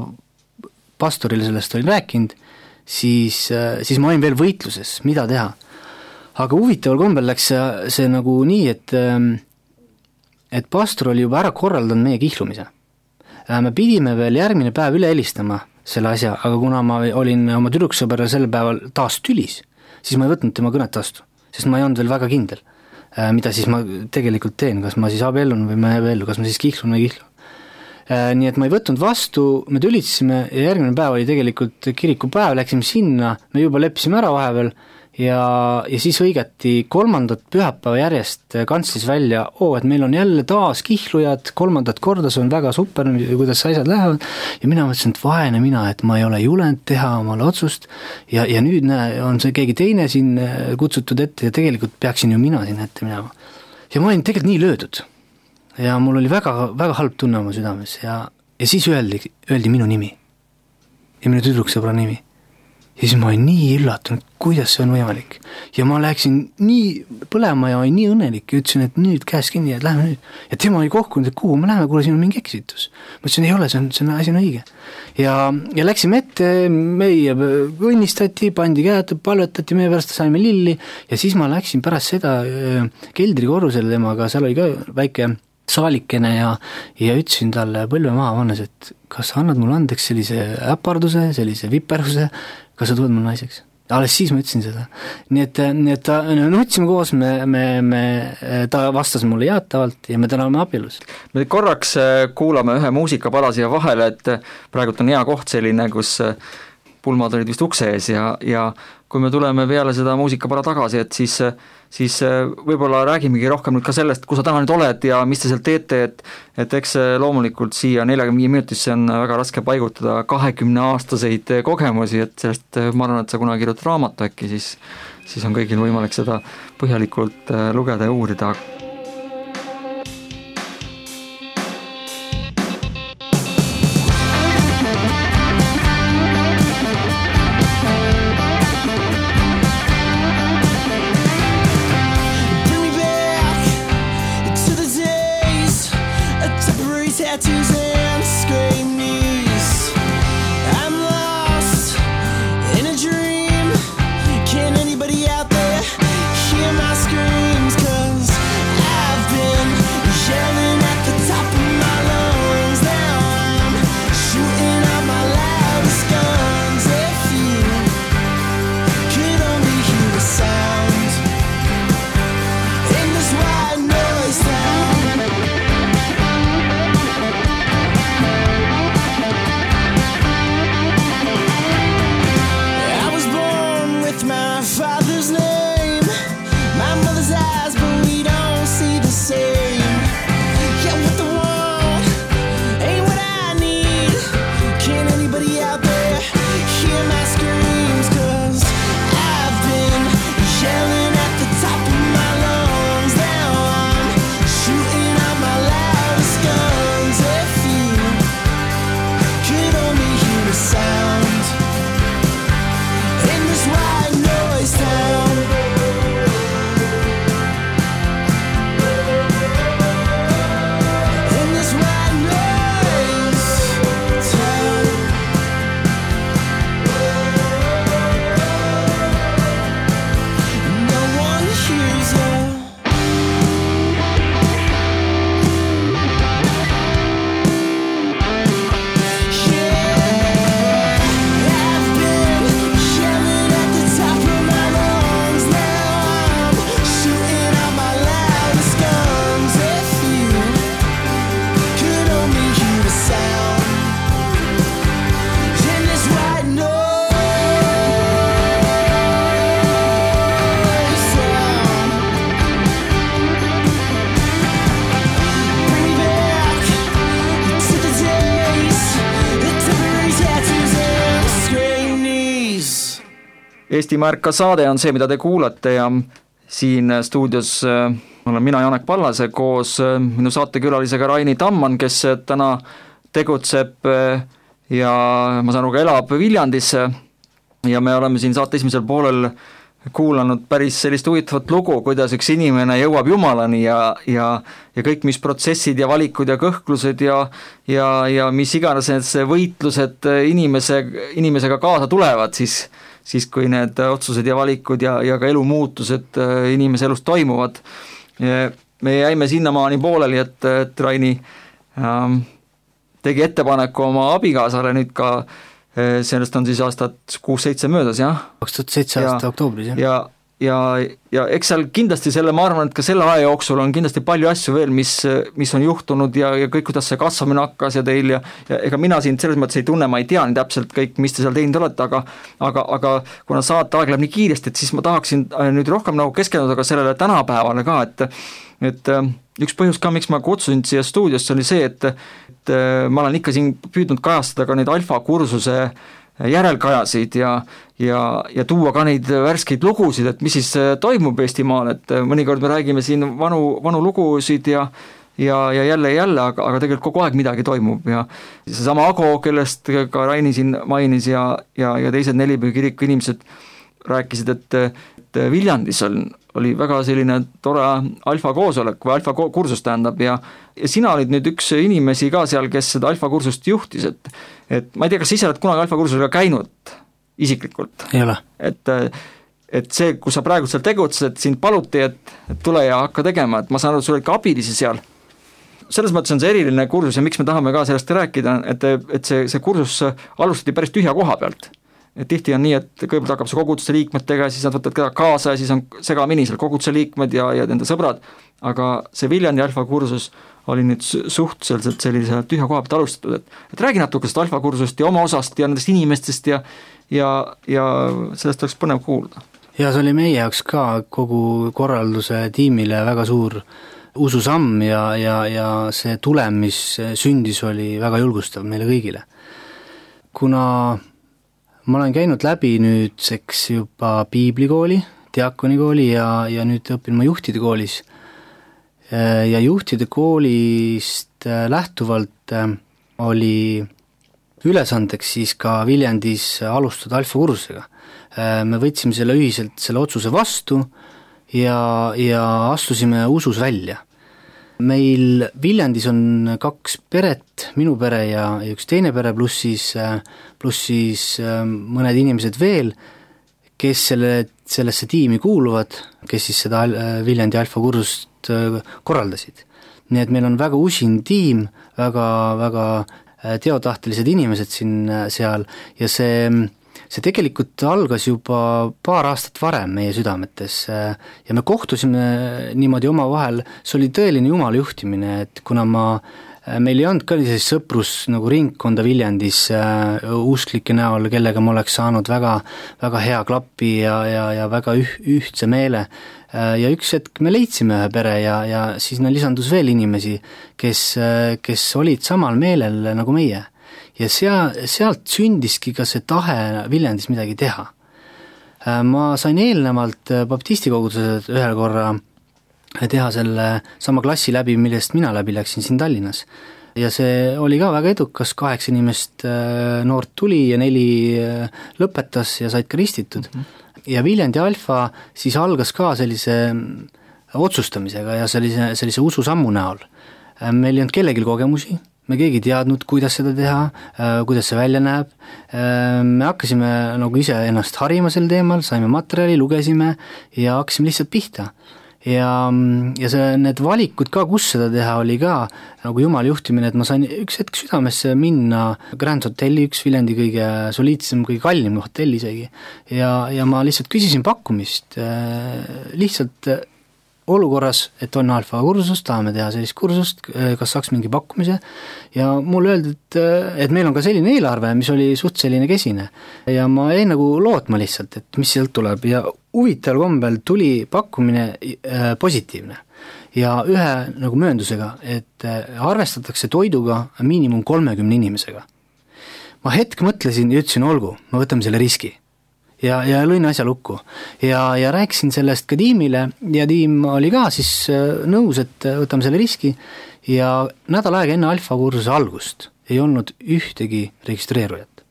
pastorile sellest olin rääkinud, siis, siis ma olin veel võitluses, mida teha. Aga huvitaval kombel läks see, see nagu nii, et, et pastor oli juba ära korraldanud meie kihlumise. Me pidime veel järgmine päev üle helistama selle asja, aga kuna ma olin oma tüdruksõberra sel päeval taas tülis, siis ma ei võtnud tema kõnet vastu, sest ma ei olnud veel väga kindel, mida siis ma tegelikult teen, kas ma siis abellun või ma ei abellu, kas ma siis kihlun või kihlu. Nii et ma ei võtnud vastu, me tülisime ja järgmine päev oli tegelikult kirikupäev, läksime sinna, me juba leppisime ära vahepeal ja, ja siis õigati kolmandat pühapäeva järjest kantslis välja, oo, et meil on jälle taas kihlujad, kolmandat korda, see on väga super, kuidas asjad lähevad ja mina mõtlesin, et vaene mina, et ma ei ole julenud teha omale otsust ja, ja nüüd näe, on see keegi teine siin kutsutud ette ja tegelikult peaksin ju mina siin ette minema. Ja ma olin tegelikult nii löödud ja mul oli väga, väga halb tunne oma südames ja, ja siis öeldi, öeldi minu nimi ja minu tüdruksõbra nimi. Ja siis ma olin nii üllatunud, kuidas see on võimalik. Ja ma läksin nii põlema ja olin nii õnnelik ja ütlesin, et nüüd käes kinni, et lähme nüüd. Ja tema oli kohkunud, et kuhu me läheme, kuule siin on mingi eksitus. Ma ütlesin, ei ole, see on, see on asi on õige. Ja, ja läksime ette, meie õnnistati, pandi käed, palvetati, meie pärast saime lilli ja siis ma läksin pärast seda keldrikorrusele temaga, seal oli ka väike saalikene ja, ja ütlesin talle põlve maha vannes, et kas sa annad mulle andeks sellise äparduse, sellise viperuse, kas sa tuled mul naiseks? Alles siis ma ütlesin seda. Nii et, nii et ta, nutsime koos, me, me, me, ta vastas mulle jaatavalt ja me täna oleme abielus. Me korraks kuulame ühe muusikapala siia vahele, et praegult on hea koht selline, kus pulmad olid vist ukse ees ja, ja kui me tuleme peale seda muusikapala tagasi, et siis, siis võib-olla räägimegi rohkem nüüd ka sellest, kus sa täna nüüd oled ja mis te seal teete, et, et eks loomulikult siia neljakümne viie minutisse on väga raske paigutada kahekümne aastaseid kogemusi, et sellest ma arvan, et sa kunagi kirjutad raamatu äkki, siis, siis on kõigil võimalik seda põhjalikult lugeda ja uurida. Eestimaa Ärka saade on see, mida te kuulate ja siin stuudios olen mina Janek Pallase koos minu saatekülalisega Raini Tamman, kes täna tegutseb ja ma saan aru ka elab Viljandis ja me oleme siin saate esimesel poolel kuulanud päris sellist huvitavat lugu, kuidas üks inimene jõuab Jumalani ja, ja, ja kõik, mis protsessid ja valikud ja kõhklused ja, ja, ja mis iganes need võitlused inimese, inimesega kaasa tulevad, siis siis kui need otsused ja valikud ja, ja ka elumuutused inimese elus toimuvad. Me jäime sinnamaani pooleli, et, et Raini ähm, tegi ettepaneku oma abikaasale nüüd ka, sellest on siis aastat kuus seitse möödas, jah? kaks tuhat seitse aasta oktoobris, jah. Ja, ja, ja eks seal kindlasti selle, ma arvan, et ka selle aja jooksul on kindlasti palju asju veel, mis, mis on juhtunud ja, ja kõik, kuidas see kasvamine hakkas ja teil ja, ja ega mina siin selles mõttes ei tunne, ma ei tea nii täpselt kõik, mis te seal teinud olete, aga, aga, aga kuna saate aeg läheb nii kiiresti, et siis ma tahaksin nüüd rohkem nagu keskenduda ka sellele tänapäevale ka, et, et üks põhjus ka, miks ma kutsusin siia stuudiosse oli see, et, et ma olen ikka siin püüdnud kajastada ka neid alfa kursuse järelkajasid ja, ja, ja tuua ka neid värskeid lugusid, et mis siis toimub Eestimaal, et mõnikord me räägime siin vanu, vanu lugusid ja, ja, ja jälle ja jälle, aga, aga tegelikult kogu aeg midagi toimub ja seesama Ago, kellest ka Raini siin mainis ja, ja, ja teised Nelipühi kiriku inimesed rääkisid, et, et Viljandis on, oli väga selline tore alfa koosolek või alfa kursus tähendab ja, ja sina olid nüüd üks inimesi ka seal, kes seda alfa kursust juhtis, et, et ma ei tea, kas ise oled kunagi alfa kursusega käinud isiklikult? Ei ole. Et, et see, kus sa praegu seal tegutsid, et sind paluti, et, et tule ja hakka tegema, et ma saan aru, sul olid ka abilisi seal. Selles mõttes on see eriline kursus ja miks me tahame ka sellest rääkida, et, et see, see kursus alustati päris tühja koha pealt. et tihti on nii, et kõigepealt hakkab see koguduse liikmetega, siis nad võtavad keda kaasa ja siis on segamini seal koguduse liikmed ja, ja nende sõbrad, aga see Viljandi alfakursus oli nüüd suhteliselt sellise tühja koha pealt alustatud, et, et räägi natuke sellest alfakursust ja oma osast ja nendest inimestest ja, ja, ja sellest oleks põnev kuulda. Ja see oli meie jaoks ka kogu korralduse tiimile väga suur ususamm ja, ja, ja see tulem, mis sündis, oli väga julgustav meile kõigile. Kuna ma olen käinud läbi nüüdseks juba piiblikooli, diakonikooli ja, ja nüüd õpin ma juhtide koolis. Ja juhtide koolist lähtuvalt oli ülesandeks siis ka Viljandis alustada alfakursusega. Me võtsime selle ühiselt selle otsuse vastu ja, ja astusime usus välja. Meil Viljandis on kaks peret, minu pere ja üks teine pere, pluss siis, pluss siis mõned inimesed veel, kes selle, sellesse tiimi kuuluvad, kes siis seda Viljandi alfakursust korraldasid. Nii et meil on väga usin tiim, väga, väga teotahtelised inimesed siin seal ja see See tegelikult algas juba paar aastat varem meie südametes ja me kohtusime niimoodi oma vahel, see oli tõeline Jumala juhtimine, et kuna ma, meil ei olnud ka sellis sõprus nagu ringkonda Viljandis usklike näol, kellega ma oleks saanud väga, väga hea klappi ja, ja, ja väga üh, ühtse meele ja üks hetk me leidsime ühe pere ja, ja siis lisandus veel inimesi, kes, kes olid samal meelel nagu meie. Ja sea, sealt sündiski ka see tahe Viljandis midagi teha. Ma sain eelnevalt baptistikogudused ühel korra teha selle sama klassi läbi, millest mina läbi läksin siin Tallinnas. Ja see oli ka väga edukas, kaheksa inimest noort tuli ja neli lõpetas ja said ka ristitud. Mm-hmm. Ja Viljandi alfa siis algas ka sellise otsustamisega ja sellise, sellise ususammu näol. Meil ei olnud kellelgi kogemusi, me keegi teadnud, kuidas seda teha, kuidas see välja näeb. Me hakkasime nagu ise ennast harima sel teemal, saime materjali, lugesime ja hakkasime lihtsalt pihta. Ja, ja see, need valikud ka, kus seda teha, oli ka nagu Jumala juhtimine, et ma sain üks hetk südamesse minna Grand Hotelli, üks Viljandi kõige soliidsem, kõige kallim hotell isegi. Ja, ja ma lihtsalt küsisin pakkumist, lihtsalt olukorras, et on alfa kursust, tahame teha sellist kursust, kas saaks mingi pakkumise ja mulle öeldi, et, et meil on ka selline eelarve, mis oli suht selline kesine ja ma jäin nagu lootma lihtsalt, et mis sealt tuleb ja huvitaval kombel tuli pakkumine positiivne ja ühe nagu mööndusega, et arvestatakse toiduga miinimum kolmekümne inimesega. Ma hetk mõtlesin ja ütlesin, olgu, ma võtame selle riski. Ja, ja lõin asja lukku ja, ja rääkisin sellest ka tiimile ja tiim oli ka siis nõus, et võtame selle riski ja nädal aega enne alfa kursuse algust ei olnud ühtegi registreerujat.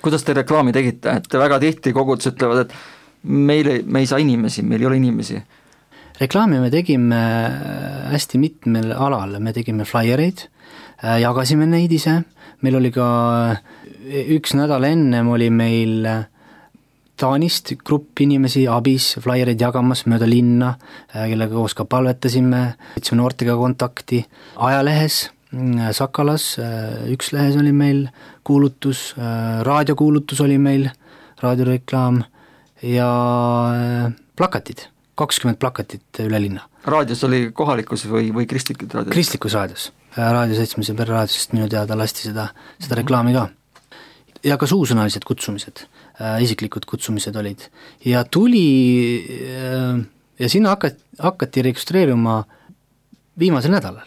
Kuidas te reklaami tegite, et väga tihti kogudus ütlevad, et meil ei, me ei saa inimesi, meil ei ole inimesi? Reklaami me tegime hästi mitmel alal, me tegime flyereid, jagasime neid ise, meil oli ka üks nädal ennem oli meil Taanist grupp inimesi abis, flyereid jagamas mööda linna, kellega koos ka palvetasime, võtsime noortega kontakti. Ajalehes, Sakalas, üks lehes oli meil kuulutus, raadiokuulutus oli meil, raadioreklaam ja plakatid, kakskümmend plakatit üle linna. Raadios oli kohalikus või, või kristlikud raadios? Kristlikus raadios, raadio seitsmese pere raadiosest minu teada lasti seda, seda reklaami ka. Ja ka suusõnalised kutsumised, äh, isiklikud kutsumised olid. Ja tuli, äh, ja sinna hakati, hakati registreerima viimasel nädalal.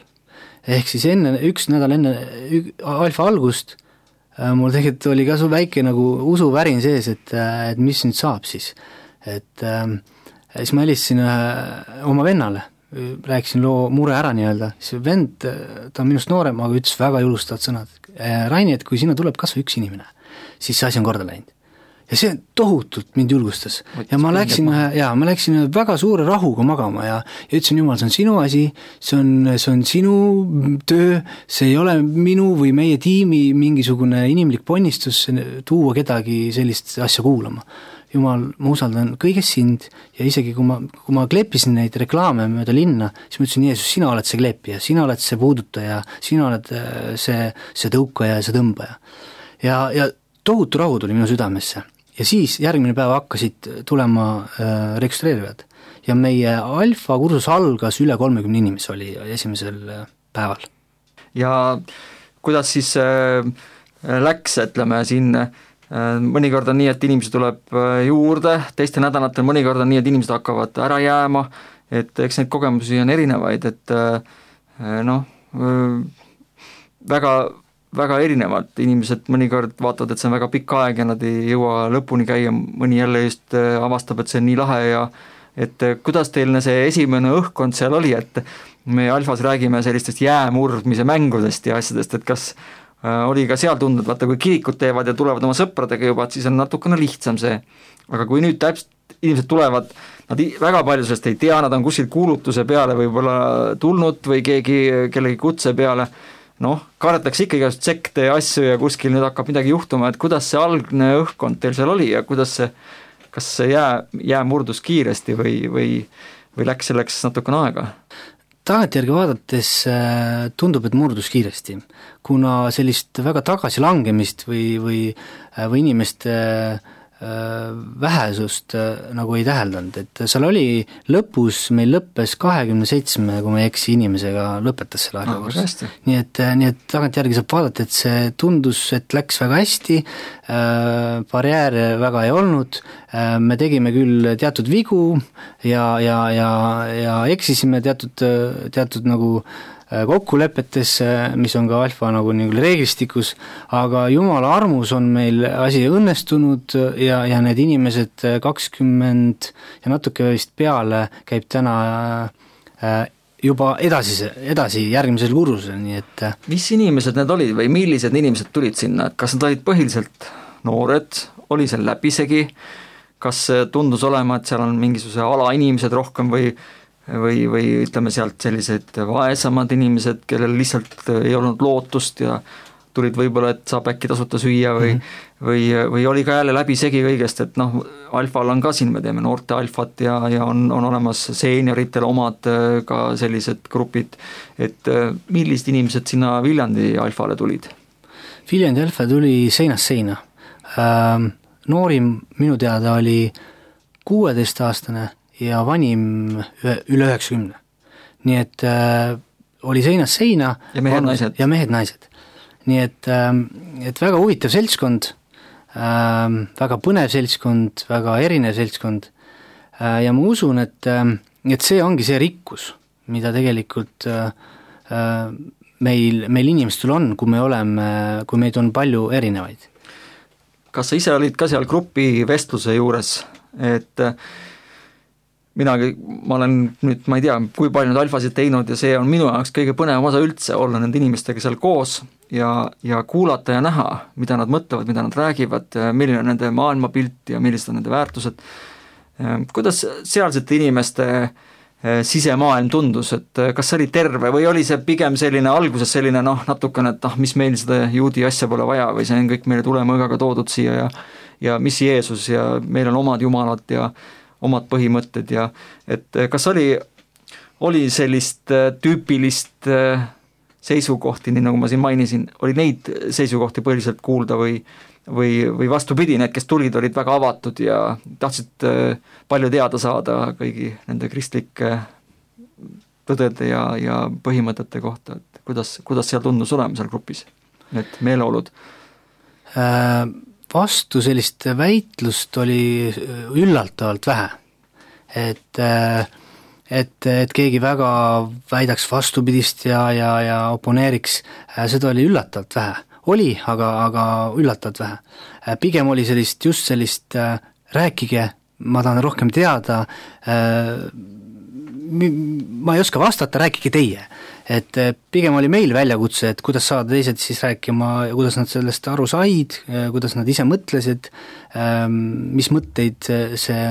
Ehk siis enne, üks nädal enne alfa algust, äh, mul tegelikult oli ka su väike nagu usuvärin sees, et, äh, et mis nüüd saab siis. Et äh, siis ma helistasin äh, oma vennale, rääkisin loo mure ära nii-öelda, siis vend, ta on minust noorem, aga ütles väga julustavad sõnad. Raini, et kui sinna tuleb kas või üks inimene, siis see asi on korda läinud. Ja see tohutult mind julgustas. Ja ma läksin, ja, ma läksin väga suure rahuga magama ja, ja ütlesin, Jumal, see on sinu asi, see on, see on sinu töö, see ei ole minu või meie tiimi mingisugune inimlik ponnistus tuua kedagi sellist asja kuulama. Jumal, ma usaldan kõigest sind ja isegi kui ma, kui ma kleepisin neid reklaame mööda linna, siis ma ütlesin, Jeesus, sina oled see kleepija, sina oled see puudutaja, sina oled see, see tõukaja ja see tõmbaja. Ja, ja tohutu rahu tuli minu südamesse ja siis järgmine päev hakkasid tulema äh, registreerujad ja meie alfa kursus algas üle kolmekümne inimese oli esimesel äh, päeval. Ja kuidas siis äh, läks, ütleme siin äh, mõnikord on nii, et inimesi tuleb äh, juurde, teiste nädalatel mõnikord on nii, et inimesed hakkavad ära jääma, et eks neid kogemusi on erinevaid, et äh, noh, äh, väga väga erinevad, inimesed mõnikord vaatavad, et see on väga pikk aeg ja nad ei jõua lõpuni käia, mõni jälle just avastab, et see on nii lahe ja et kuidas teil see esimene õhkkond seal oli, et me alfas räägime sellistest jäämurdmise mängudest ja asjadest, et kas oli ka seal tundnud, vaata kui kirikud teevad ja tulevad oma sõpradega juba, et siis on natukene lihtsam see, aga kui nüüd täpselt inimesed tulevad, nad väga palju sellest ei tea, nad on kuskil kuulutuse peale võib-olla tulnud või keegi kellegi kutse peale, noh, kardetakse ikka igast sekte ja asju ja kuskil nüüd hakkab midagi juhtuma, et kuidas see algne õhkkond teil seal oli ja kuidas see, kas see jää, jää murdus kiiresti või, või, või läks selleks natukene aega? Tagantjärgi vaadates tundub, et murdus kiiresti, kuna sellist väga tagasilangemist või, või, või inimeste vähesust nagu ei täheldanud, et seal oli lõpus, meil lõppes kahekümne seitsme, kui ma ei eksi, inimesega lõpetas selle arvekurs. No, nii et, nii et tagantjärgi saab vaadata, et see tundus, et läks väga hästi, barjääre väga ei olnud, me tegime küll teatud vigu ja, ja, ja, ja eksisime teatud, teatud nagu kokkulepetes, mis on ka alfa nagu nii reeglistikus, aga Jumala armus on meil asi õnnestunud ja, ja need inimesed kakskümmend ja natuke vist peale käib täna juba edasi, edasi järgmisel kursusel, nii et mis inimesed need olid või millised inimesed tulid sinna, et kas nad olid põhiliselt noored, oli seal läbisegi, kas tundus olema, et seal on mingisuguse alainimesed rohkem või või, või ütleme sealt sellised vaesamad inimesed, kellel lihtsalt ei olnud lootust ja tulid võib-olla, et saab äkki tasuta süüa või mm, -hmm. või, või oli ka jälle läbi segi kõigest, et noh, alfal on ka siin, me teeme noorte alfat ja, ja on, on olemas seenioritel omad ka sellised grupid, et millised inimesed sinna Viljandi alfale tulid? Viljandi alfa tuli seinast seina. Noorim minu teada oli kuueteistaastane ja vanim üle üheksakümne. Nii et äh, oli seinast seina ja mehed, naised. ja mehed, naised. Nii et, äh, et väga huvitav seltskond, äh, väga põnev seltskond, väga erinev seltskond äh, ja ma usun, et, äh, et see ongi see rikkus, mida tegelikult äh, meil, meil inimestel on, kui me oleme, kui meid on palju erinevaid. Kas sa ise olid ka seal grupi vestluse juures, et minagi, ma olen nüüd, ma ei tea, kui palju nüüd alfasid teinud ja see on minu jaoks kõige põnevam osa üldse, olla nende inimestega seal koos ja, ja kuulata ja näha, mida nad mõtlevad, mida nad räägivad, milline on nende maailmapilt ja millised on nende väärtused. Kuidas sealsete inimeste sisemaailm tundus, et kas see oli terve või oli see pigem selline alguses selline noh, natukene, et ah, mis meil seda juudi asja pole vaja või see on kõik meile tulemõõgaga toodud siia ja, ja mis Jeesus ja meil on omad jumalad ja omad põhimõtted ja et kas oli, oli sellist tüüpilist seisukohti, nii nagu ma siin mainisin, oli neid seisukohti põhiliselt kuulda või, või, või vastupidi, need, kes tulid, olid väga avatud ja tahtsid palju teada saada kõigi nende kristlike tõdede ja, ja põhimõtete kohta, et kuidas, kuidas seal tundus olema seal grupis, need meeleolud äh...? Vastu sellist väitlust oli üllatavalt vähe, et, et, et keegi väga väidaks vastupidist ja, ja, ja oponeeriks, seda oli üllatavalt vähe. Oli, aga, aga üllatavalt vähe. Pigem oli sellist, just sellist rääkige, ma tahan rohkem teada, ma ei oska vastata, rääkige teie. Et pigem oli meil väljakutse, et kuidas saada teised siis rääkima, kuidas nad sellest aru said, kuidas nad ise mõtlesid, mis mõtteid see,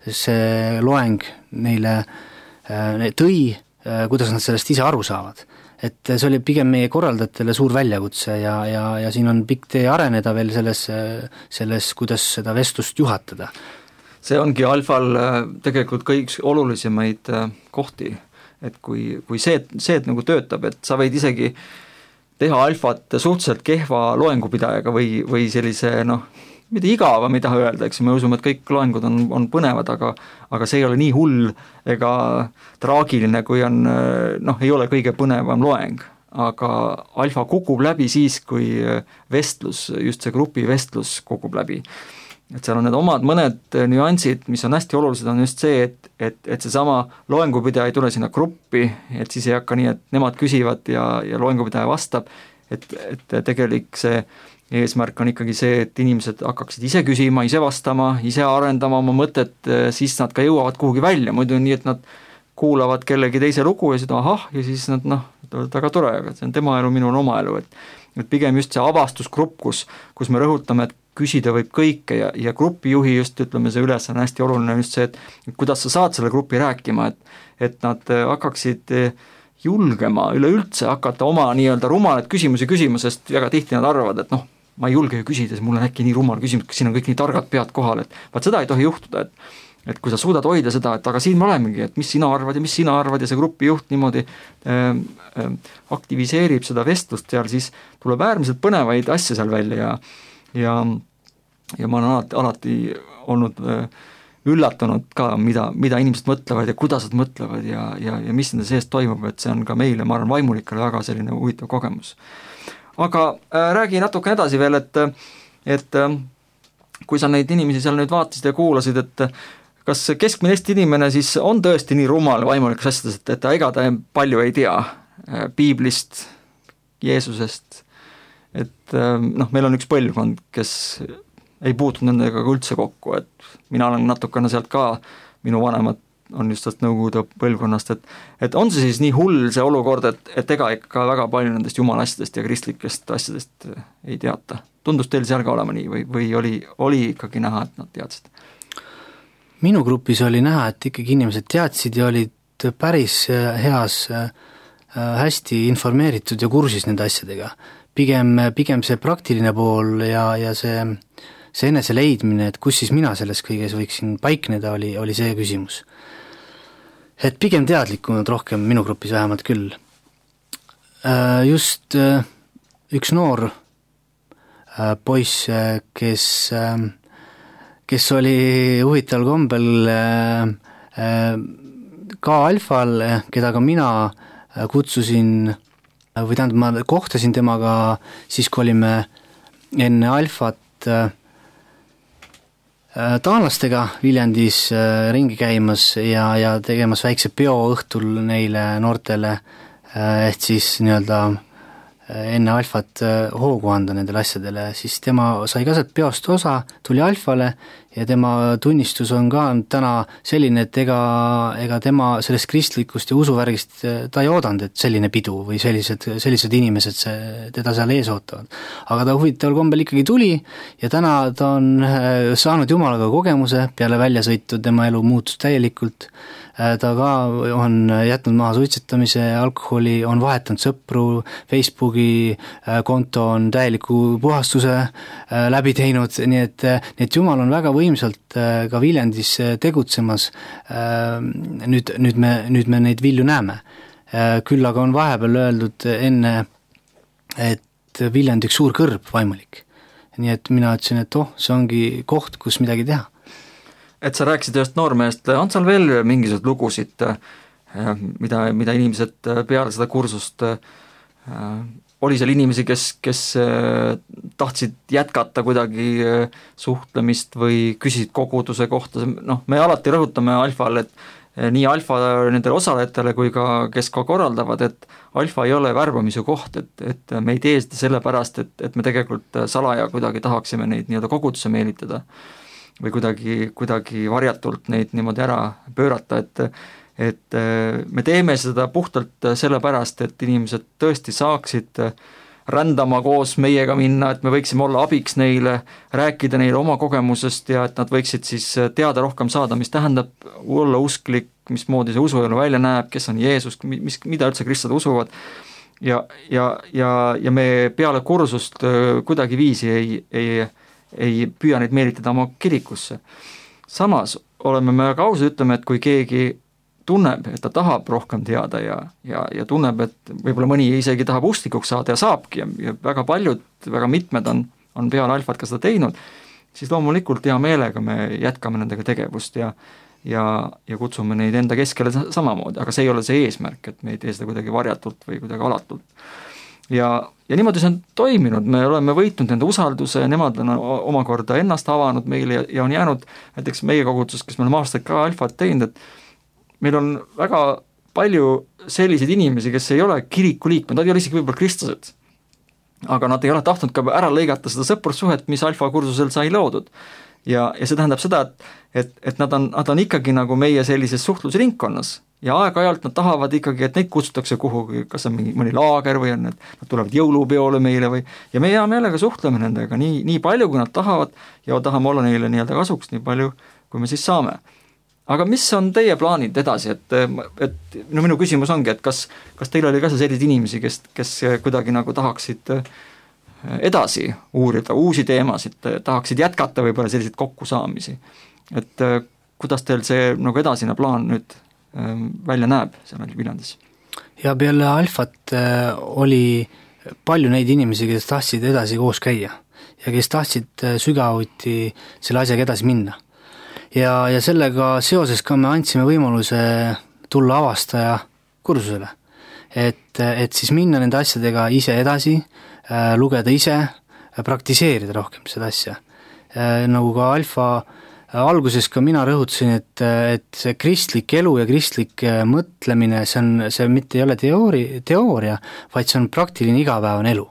see loeng neile tõi, kuidas nad sellest ise aru saavad. Et see oli pigem meie korraldajatele suur väljakutse ja, ja, ja siin on pikk tee areneda veel selles, selles, kuidas seda vestlust juhatada. See ongi alfal tegelikult kõik olulisemaid kohti, et kui, kui see, see et nagu töötab, et sa võid isegi teha alfat suhteliselt kehva loengupidajaga või, või sellise noh, mida igava, mida öelda, eks me usume, et kõik loengud on, on põnevad, aga, aga see ei ole nii hull ega traagiline, kui on, noh, ei ole kõige põnevam loeng, aga alfa kukub läbi siis, kui vestlus, just see grupi vestlus kukub läbi. Et seal on need omad mõned nüansid, mis on hästi olulised, on just see, et, et, et see sama loengupidaja ei tule sinna gruppi, et siis ei hakka nii, et nemad küsivad ja, ja loengupidaja vastab, et, et tegelik see eesmärk on ikkagi see, et inimesed hakkaksid ise küsima, ise vastama, ise arendama oma mõtet, siis nad ka jõuavad kuhugi välja, muidu on nii, et nad kuulavad kellegi teise lugu ja seda ahah, ja siis nad noh, väga tore, aga see on tema elu, minu on oma elu, et, et pigem just see avastusgrupp, kus, kus me rõhutame, et küsida võib kõike ja, ja grupijuhi just, ütleme, see üles on hästi oluline just see, et, et kuidas sa saad selle grupi rääkima, et, et nad hakkaksid julgema üleüldse hakata oma nii-öelda rumalad küsimusi küsima, sest väga tihti nad arvavad, et noh, ma ei julge ju küsida, mul on äkki nii rumal küsimus, kas siin on kõik nii targad pead kohal, et vaat seda ei tohi juhtuda, et, et kui sa suudad hoida seda, et aga siin me olemegi, et mis sina arvad ja mis sina arvad ja see grupijuht niimoodi ähm, ähm, aktiviseerib seda vestlust seal, siis tuleb äärmiselt põnevaid asja seal välja ja, ja, ja ma olen alati, alati olnud äh, üllatunud ka, mida, mida inimesed mõtlevad ja kuidas nad mõtlevad ja, ja, ja mis nende sees toimub, et see on ka meile, ma arvan, vaimulikele väga selline huvitav kogemus. Aga äh, räägi natuke edasi veel, et, et äh, kui sa neid inimesi seal nüüd vaatasid ja kuulasid, et kas keskmine Eesti inimene siis on tõesti nii rumal vaimulikas asjades, et, et ega ta palju ei tea äh, piiblist, Jeesusest, et äh, noh, meil on üks põlvkond, kes ei puutunud nendega üldse kokku, et mina olen natukene sealt ka, minu vanemad on just sellest nõukogude põlvkonnast, et, et on see siis nii hull see olukord, et, et ega ikka väga palju nendest jumala asjadest ja kristlikest asjadest ei teata. Tundus teil seal ka olema nii või, või oli, oli ikkagi näha, et nad teadsid? Minu grupis oli näha, et ikkagi inimesed teadsid ja olid päris heas, hästi informeeritud ja kursis nende asjadega. Pigem, pigem see praktiline pool ja, ja see, see enese leidmine, et kus siis mina selles kõiges võiksin paikneda, oli, oli see küsimus. Et pigem teadlikumad rohkem minu grupis vähemalt küll. Just üks noor poiss, kes, kes oli huvitaval kombel ka alfal, keda ka mina kutsusin, või tähendab, ma kohtasin temaga siis, kui olime enne alfat taanlastega Viljandis ringi käimas ja, ja tegemas väikse peo õhtul neile noortele, et siis nii-öelda enne alfat hoogu anda nendele asjadele, siis tema sai ka sealt peost osa, tuli alfale ja tema tunnistus on ka täna selline, et ega, ega tema sellest kristlikust ja usuvärgist ta ei oodanud, et selline pidu või sellised, sellised inimesed see, teda seal ees ootavad. Aga ta huvitaval kombel ikkagi tuli ja täna ta on saanud jumalaga kogemuse, peale väljasõitu tema elu muutus täielikult, ta ka on jätnud maha suitsetamise, alkoholi, on vahetanud sõpru, Facebooki konto on täieliku puhastuse läbi teinud, nii et, nii et Jumal on väga võimsalt ka Viljandis tegutsemas. Nüüd, nüüd, me, nüüd me neid vilju näeme. Küll aga on vahepeal öeldud enne, et Viljandi üks suur kõrb vaimulik. Nii et mina ütlesin, et oh, see ongi koht, kus midagi teha. Et sa rääkisid ühest noormehest, on seal veel mingisugused lugusid, mida, mida inimesed peale seda kursust, oli seal inimesi, kes, kes tahtsid jätkata kuidagi suhtlemist või küsisid koguduse kohta, noh, me alati rõhutame alfal, et nii alfa nendele osalejatele kui ka kes ka korraldavad, et alfa ei ole värbamise koht, et, et me ei tee seda sellepärast, et, et me tegelikult salaja kuidagi tahaksime neid nii-öelda kogudusse meelitada või kuidagi, kuidagi varjatult neid niimoodi ära pöörata, et, et me teeme seda puhtalt sellepärast, et inimesed tõesti saaksid rändama koos meiega minna, et me võiksime olla abiks neile, rääkida neile oma kogemusest ja et nad võiksid siis teada rohkem saada, mis tähendab olla usklik, mismoodi see usuelu välja näeb, kes on Jeesus, mis, mida üldse kristlased usuvad ja, ja, ja, ja me peale kursust kuidagi viisi ei, ei ei püüa neid meelitada oma kirikusse. Samas oleme me väga ausad, ütleme, et kui keegi tunneb, et ta tahab rohkem teada ja, ja, ja tunneb, et võib-olla mõni isegi tahab usklikuks saada ja saabki ja, ja väga paljud, väga mitmed on, on peale alfat ka seda teinud, siis loomulikult hea meelega me jätkame nendega tegevust ja ja, ja kutsume neid enda keskele samamoodi, aga see ei ole see eesmärk, et me ei tee seda kuidagi varjatult või kuidagi alatult. Ja, ja niimoodi see on toiminud, me oleme võitnud nende usalduse, nemad on omakorda ennast avanud meile ja, ja on jäänud näiteks meie koguduses, kes me oleme aastaid ka alfat teinud, et meil on väga palju selliseid inimesi, kes ei ole kiriku liikmed, nad ei ole isegi võib-olla kristlased, aga nad ei ole tahtnud ka ära lõigata seda sõprussuhet, mis alfa kursusel sai loodud. Ja, ja see tähendab seda, et, et, et nad, on, nad on ikkagi nagu meie sellises suhtlusringkonnas ja aeg-ajalt nad tahavad ikkagi, et neid kutsutakse kuhugi, kas on mingi, mõni laager või on need, nad tulevad jõulupeole meile või, ja me hea meelega suhtleme nendega nii, nii palju, kui nad tahavad ja tahame olla neile nii-öelda kasuks nii palju, kui me siis saame. Aga mis on teie plaanid edasi, et, et no minu küsimus ongi, et kas, kas teil oli ka selliseid inimesi, kes, kes kuidagi nagu tahaksid edasi uurida uusi teemasid, tahaksid jätkata võib-olla selliseid kokkusaamisi, et kuidas teil see nagu edasine plaan nüüd välja näeb seal Viljandis? Ja peale alfat oli palju neid inimesi, kes tahtsid edasi koos käia ja kes tahtsid sügavuti selle asjaga edasi minna. Ja, ja sellega seoses ka me andsime võimaluse tulla avastaja kursusele, et, et siis minna nende asjadega ise edasi, lugeda ise, praktiseerida rohkem seda asja. Nagu ka alfa alguses ka mina rõhutasin, et, et see kristlik elu ja kristlik mõtlemine, see, on, see mitte ei ole teoori, teooria, vaid see on praktiline igapäevane elu.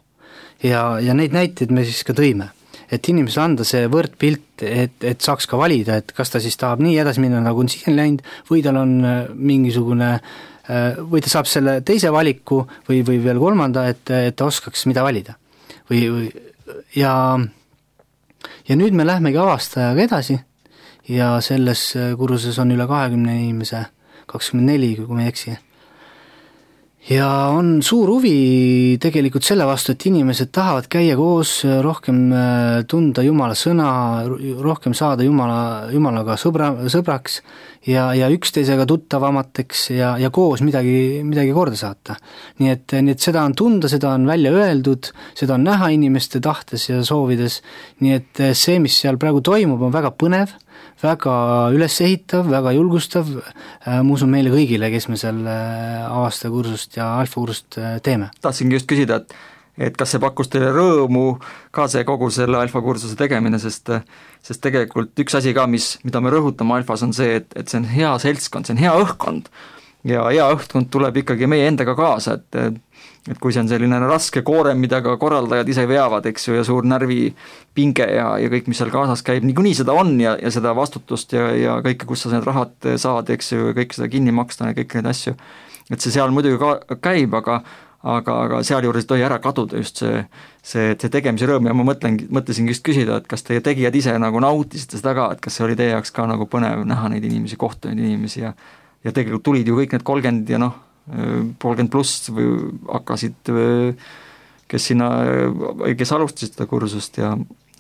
Ja, ja neid näiteid me siis ka tõime, et inimesele anda see võrdpilt, et, et saaks ka valida, et kas ta siis tahab nii edasi minna, nagu on siin läinud, või tal on mingisugune või ta saab selle teise valiku või, või veel kolmanda, et, et ta oskaks mida valida. Või, või, ja, ja nüüd me lähmegi avastajaga edasi ja selles kursuses on üle kahekümne inimese, kakskümmend neli, kui ma ei eksi. Ja on suur huvi tegelikult selle vastu, et inimesed tahavad käia koos, rohkem tunda Jumala sõna, rohkem saada Jumala, Jumalaga sõbra, sõbraks ja, ja üksteisega tuttavamateks ja, ja koos midagi, midagi korda saata. Nii et, nii et seda on tunda, seda on välja öeldud, seda on näha inimeste tahtes ja soovides, nii et see, mis seal praegu toimub, on väga põnev, väga ülesehitav, väga julgustav, ma usun meile kõigile, kes me seal avastaja kursust ja alfa kursust teeme. Tahtsingi just küsida, et, et kas see pakkus teile rõõmu ka see kogu selle alfa kursuse tegemine, sest, sest tegelikult üks asi ka, mis, mida me rõhutame alfas, on see, et, et see on hea seltskond, see on hea õhkkond ja hea õhkkond tuleb ikkagi meie endaga kaasa, et et kui see on selline raske koorem, mida ka korraldajad ise veavad, eks ju, ja suur närvipinge ja, ja kõik, mis seal kaasas käib, niikuinii seda on ja, ja seda vastutust ja, ja kõike, kus sa need rahad saad, eks ju, kõik seda kinni maksta ja kõik neid asju, et see seal muidugi ka käib, aga aga, aga seal juures ei tohi ära kaduda just see, see, see tegemise rõõm ja ma mõtlen, mõtlesin just küsida, et kas teie tegijad ise nagu nautisite seda ka, et kas see oli teie jaoks ka nagu põnev näha neid inimesi, kohta neid inimesi ja, ja tegelikult tulid ju kõik need kolmkümmend ja noh, kolmkümmend pluss või hakkasid, kes sinna, kes alustasid seda kursust ja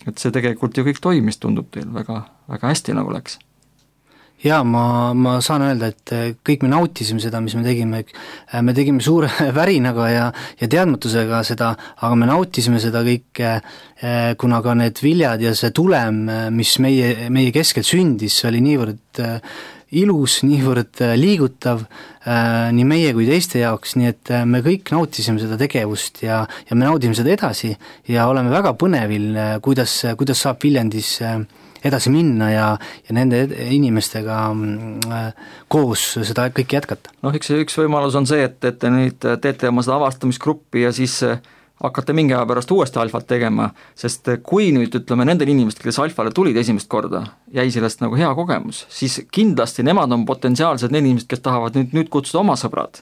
et see tegelikult ju kõik toimis, tundub teil väga, väga hästi nagu läks. Jaa, ma, ma saan öelda, et kõik me nautisime seda, mis me tegime, me tegime suure värinaga ja, ja teadmatusega seda, aga me nautisime seda kõike, kuna ka need viljad ja see tulem, mis meie, meie keskel sündis, oli niivõrd ilus, niivõrd liigutav äh, nii meie kui teiste jaoks, nii et me kõik nautisime seda tegevust ja, ja me naudime seda edasi ja oleme väga põnevil, kuidas, kuidas saab Viljandis edasi minna ja, ja nende inimestega äh, koos seda kõike jätkata. Noh, üks, üks võimalus on see, et, et te nüüd teete oma seda avastamisgruppi ja siis hakkate mingi aja pärast uuesti alfat tegema, sest kui nüüd ütleme nendel inimestel, kes alfale tulid esimest korda, jäi sellest nagu hea kogemus, siis kindlasti nemad on potentsiaalsed need inimesed, kes tahavad nüüd, nüüd kutsuda oma sõbrad.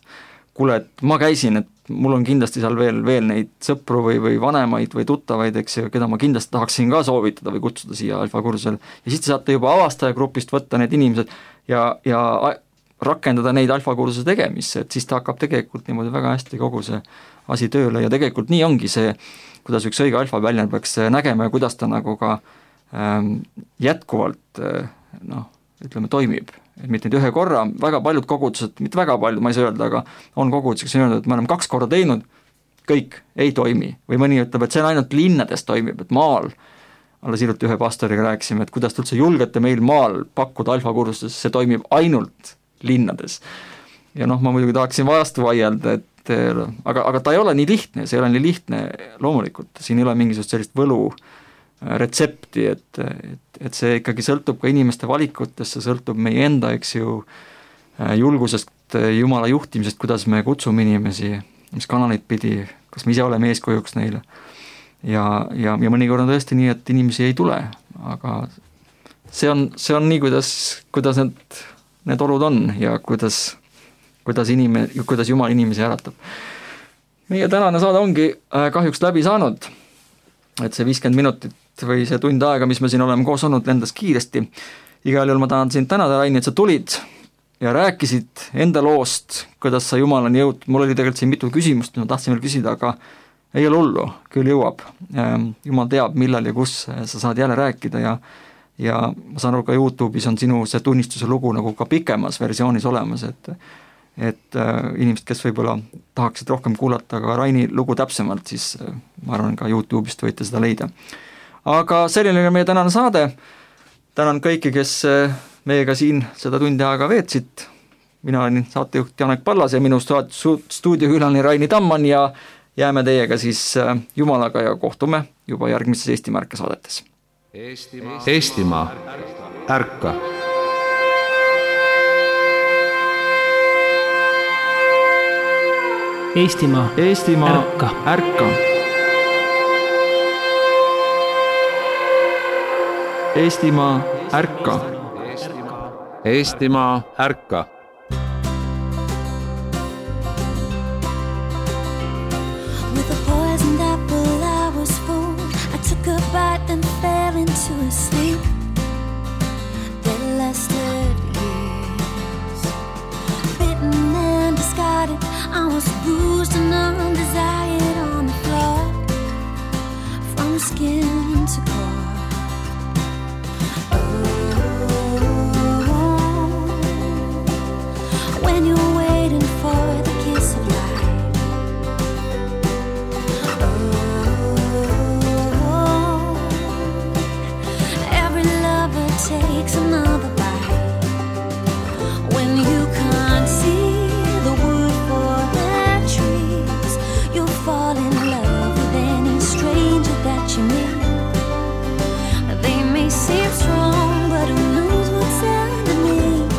Kuule, et ma käisin, et mul on kindlasti seal veel, veel neid sõpru või, või vanemaid või tuttavaid, eks ju, keda ma kindlasti tahaksin ka soovitada või kutsuda siia alfa kursusel. Ja siis te saate juba avastajagrupist võtta need inimesed ja, ja rakendada neid alfa kursuse tegemisse, et siis ta hakkab tegelikult niimoodi väga hästi kogu see asi tööle ja tegelikult nii ongi see, kuidas üks õige alfa väljend peaks nägema ja kuidas ta nagu ka ähm, jätkuvalt äh, noh, ütleme, toimib. et mitte ühe korra, väga paljud kogudused, mitte väga paljud, ma ei saa öelda, aga on kogudused, kes on öelnud, et me oleme kaks korda teinud, kõik ei toimi. Või mõni ütleb, et see on ainult linnades toimib, et maal, alles hiljuti ühe pastoriga rääkisime, et kuidas te üldse julgete meil maal pakkuda alfakursust, see toimib ainult linnades. Ja noh, ma muidugi tahaksin vastu vaielda, et aga, aga ta ei ole nii lihtne, see ei ole nii lihtne loomulikult, siin ei ole mingisugust sellist võlu retsepti, et, et, et see ikkagi sõltub ka inimeste valikutest, see sõltub meie enda, eks ju, julgusest, Jumala juhtimisest, kuidas me kutsume inimesi, mis kanaleid pidi, kas me ise oleme eeskujuks neile. Ja, ja, ja mõnikord on tõesti nii, et inimesi ei tule, aga see on, see on nii, kuidas, kuidas need, need olud on ja kuidas kuidas, inime, kuidas Jumal inimesi äratab. Meie tänane saade ongi kahjuks läbi saanud, et see viiskümmend minutit või see tund aega, mis me siin oleme koos olnud, lendas kiiresti. Igal juhul ma tahan sind tänada, Raini, et sa tulid ja rääkisid enda loost, kuidas sa Jumal on jõud. Mul oli tegelikult siin mitu küsimust, mis ma tahtsin veel küsida, aga ei ole hullu, küll jõuab. Jumal teab, millal ja kus sa saad jälle rääkida ja ja ma saan aru, ka YouTube'is on sinu see tunnistuse lugu nagu ka pikemas versioonis olemas, et et äh, inimesed, kes võib-olla tahaksid rohkem kuulata ka Raini lugu täpsemalt, siis äh, ma arvan, ka YouTube'ist võite seda leida. Aga selline meie tänane saade. Tänan kõiki, kes äh, meiega siin seda tundi aega veetsid. Mina olen saatejuht Janek Pallas ja minu stuudiokülaline Raini Tamman ja jääme teiega siis äh, Jumalaga ja kohtume juba järgmises Eesti Märka saadetes. Eestimaa, Eestimaa, ärka! Eestimaa, Eestimaa, ärka! ärka! Eestimaa, ärka! Eestimaa, ärka! With a poisoned apple I was fooled. I took a bite and fell into a sleep that lasted years. Bitten and discarded, I was bruised and undesired on the floor, from skin to core. Oh, when you're waiting for the kiss of life. Oh, every lover takes another bite. When you can't see the wood for their trees, you'll fall in love with any stranger that you meet. They may seem strong, but who knows what's underneath.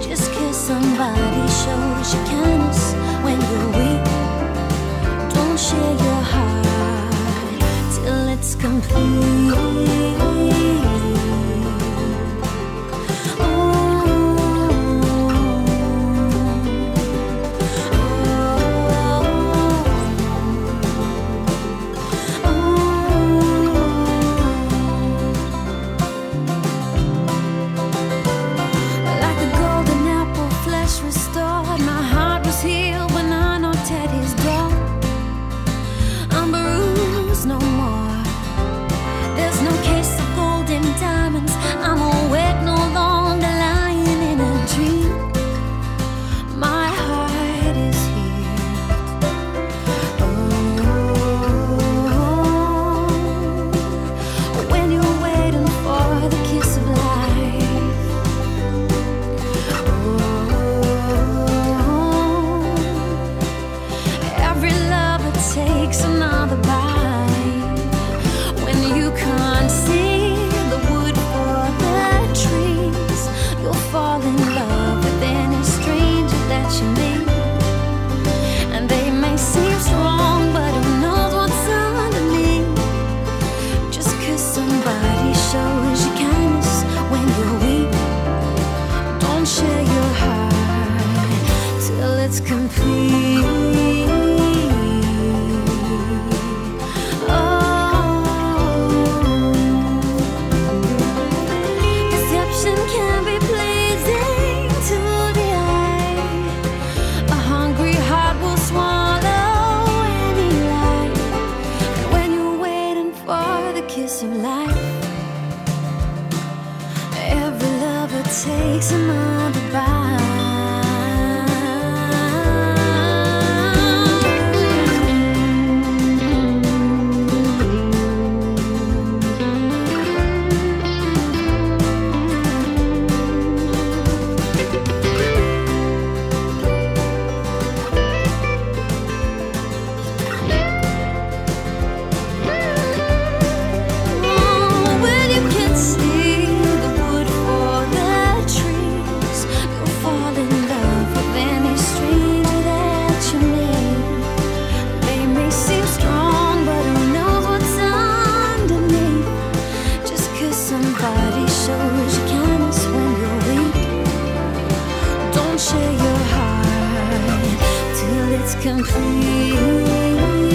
Just 'cause somebody shows you kindness when you're weak, don't share your heart till it's complete. Takes a Share your heart till it's complete.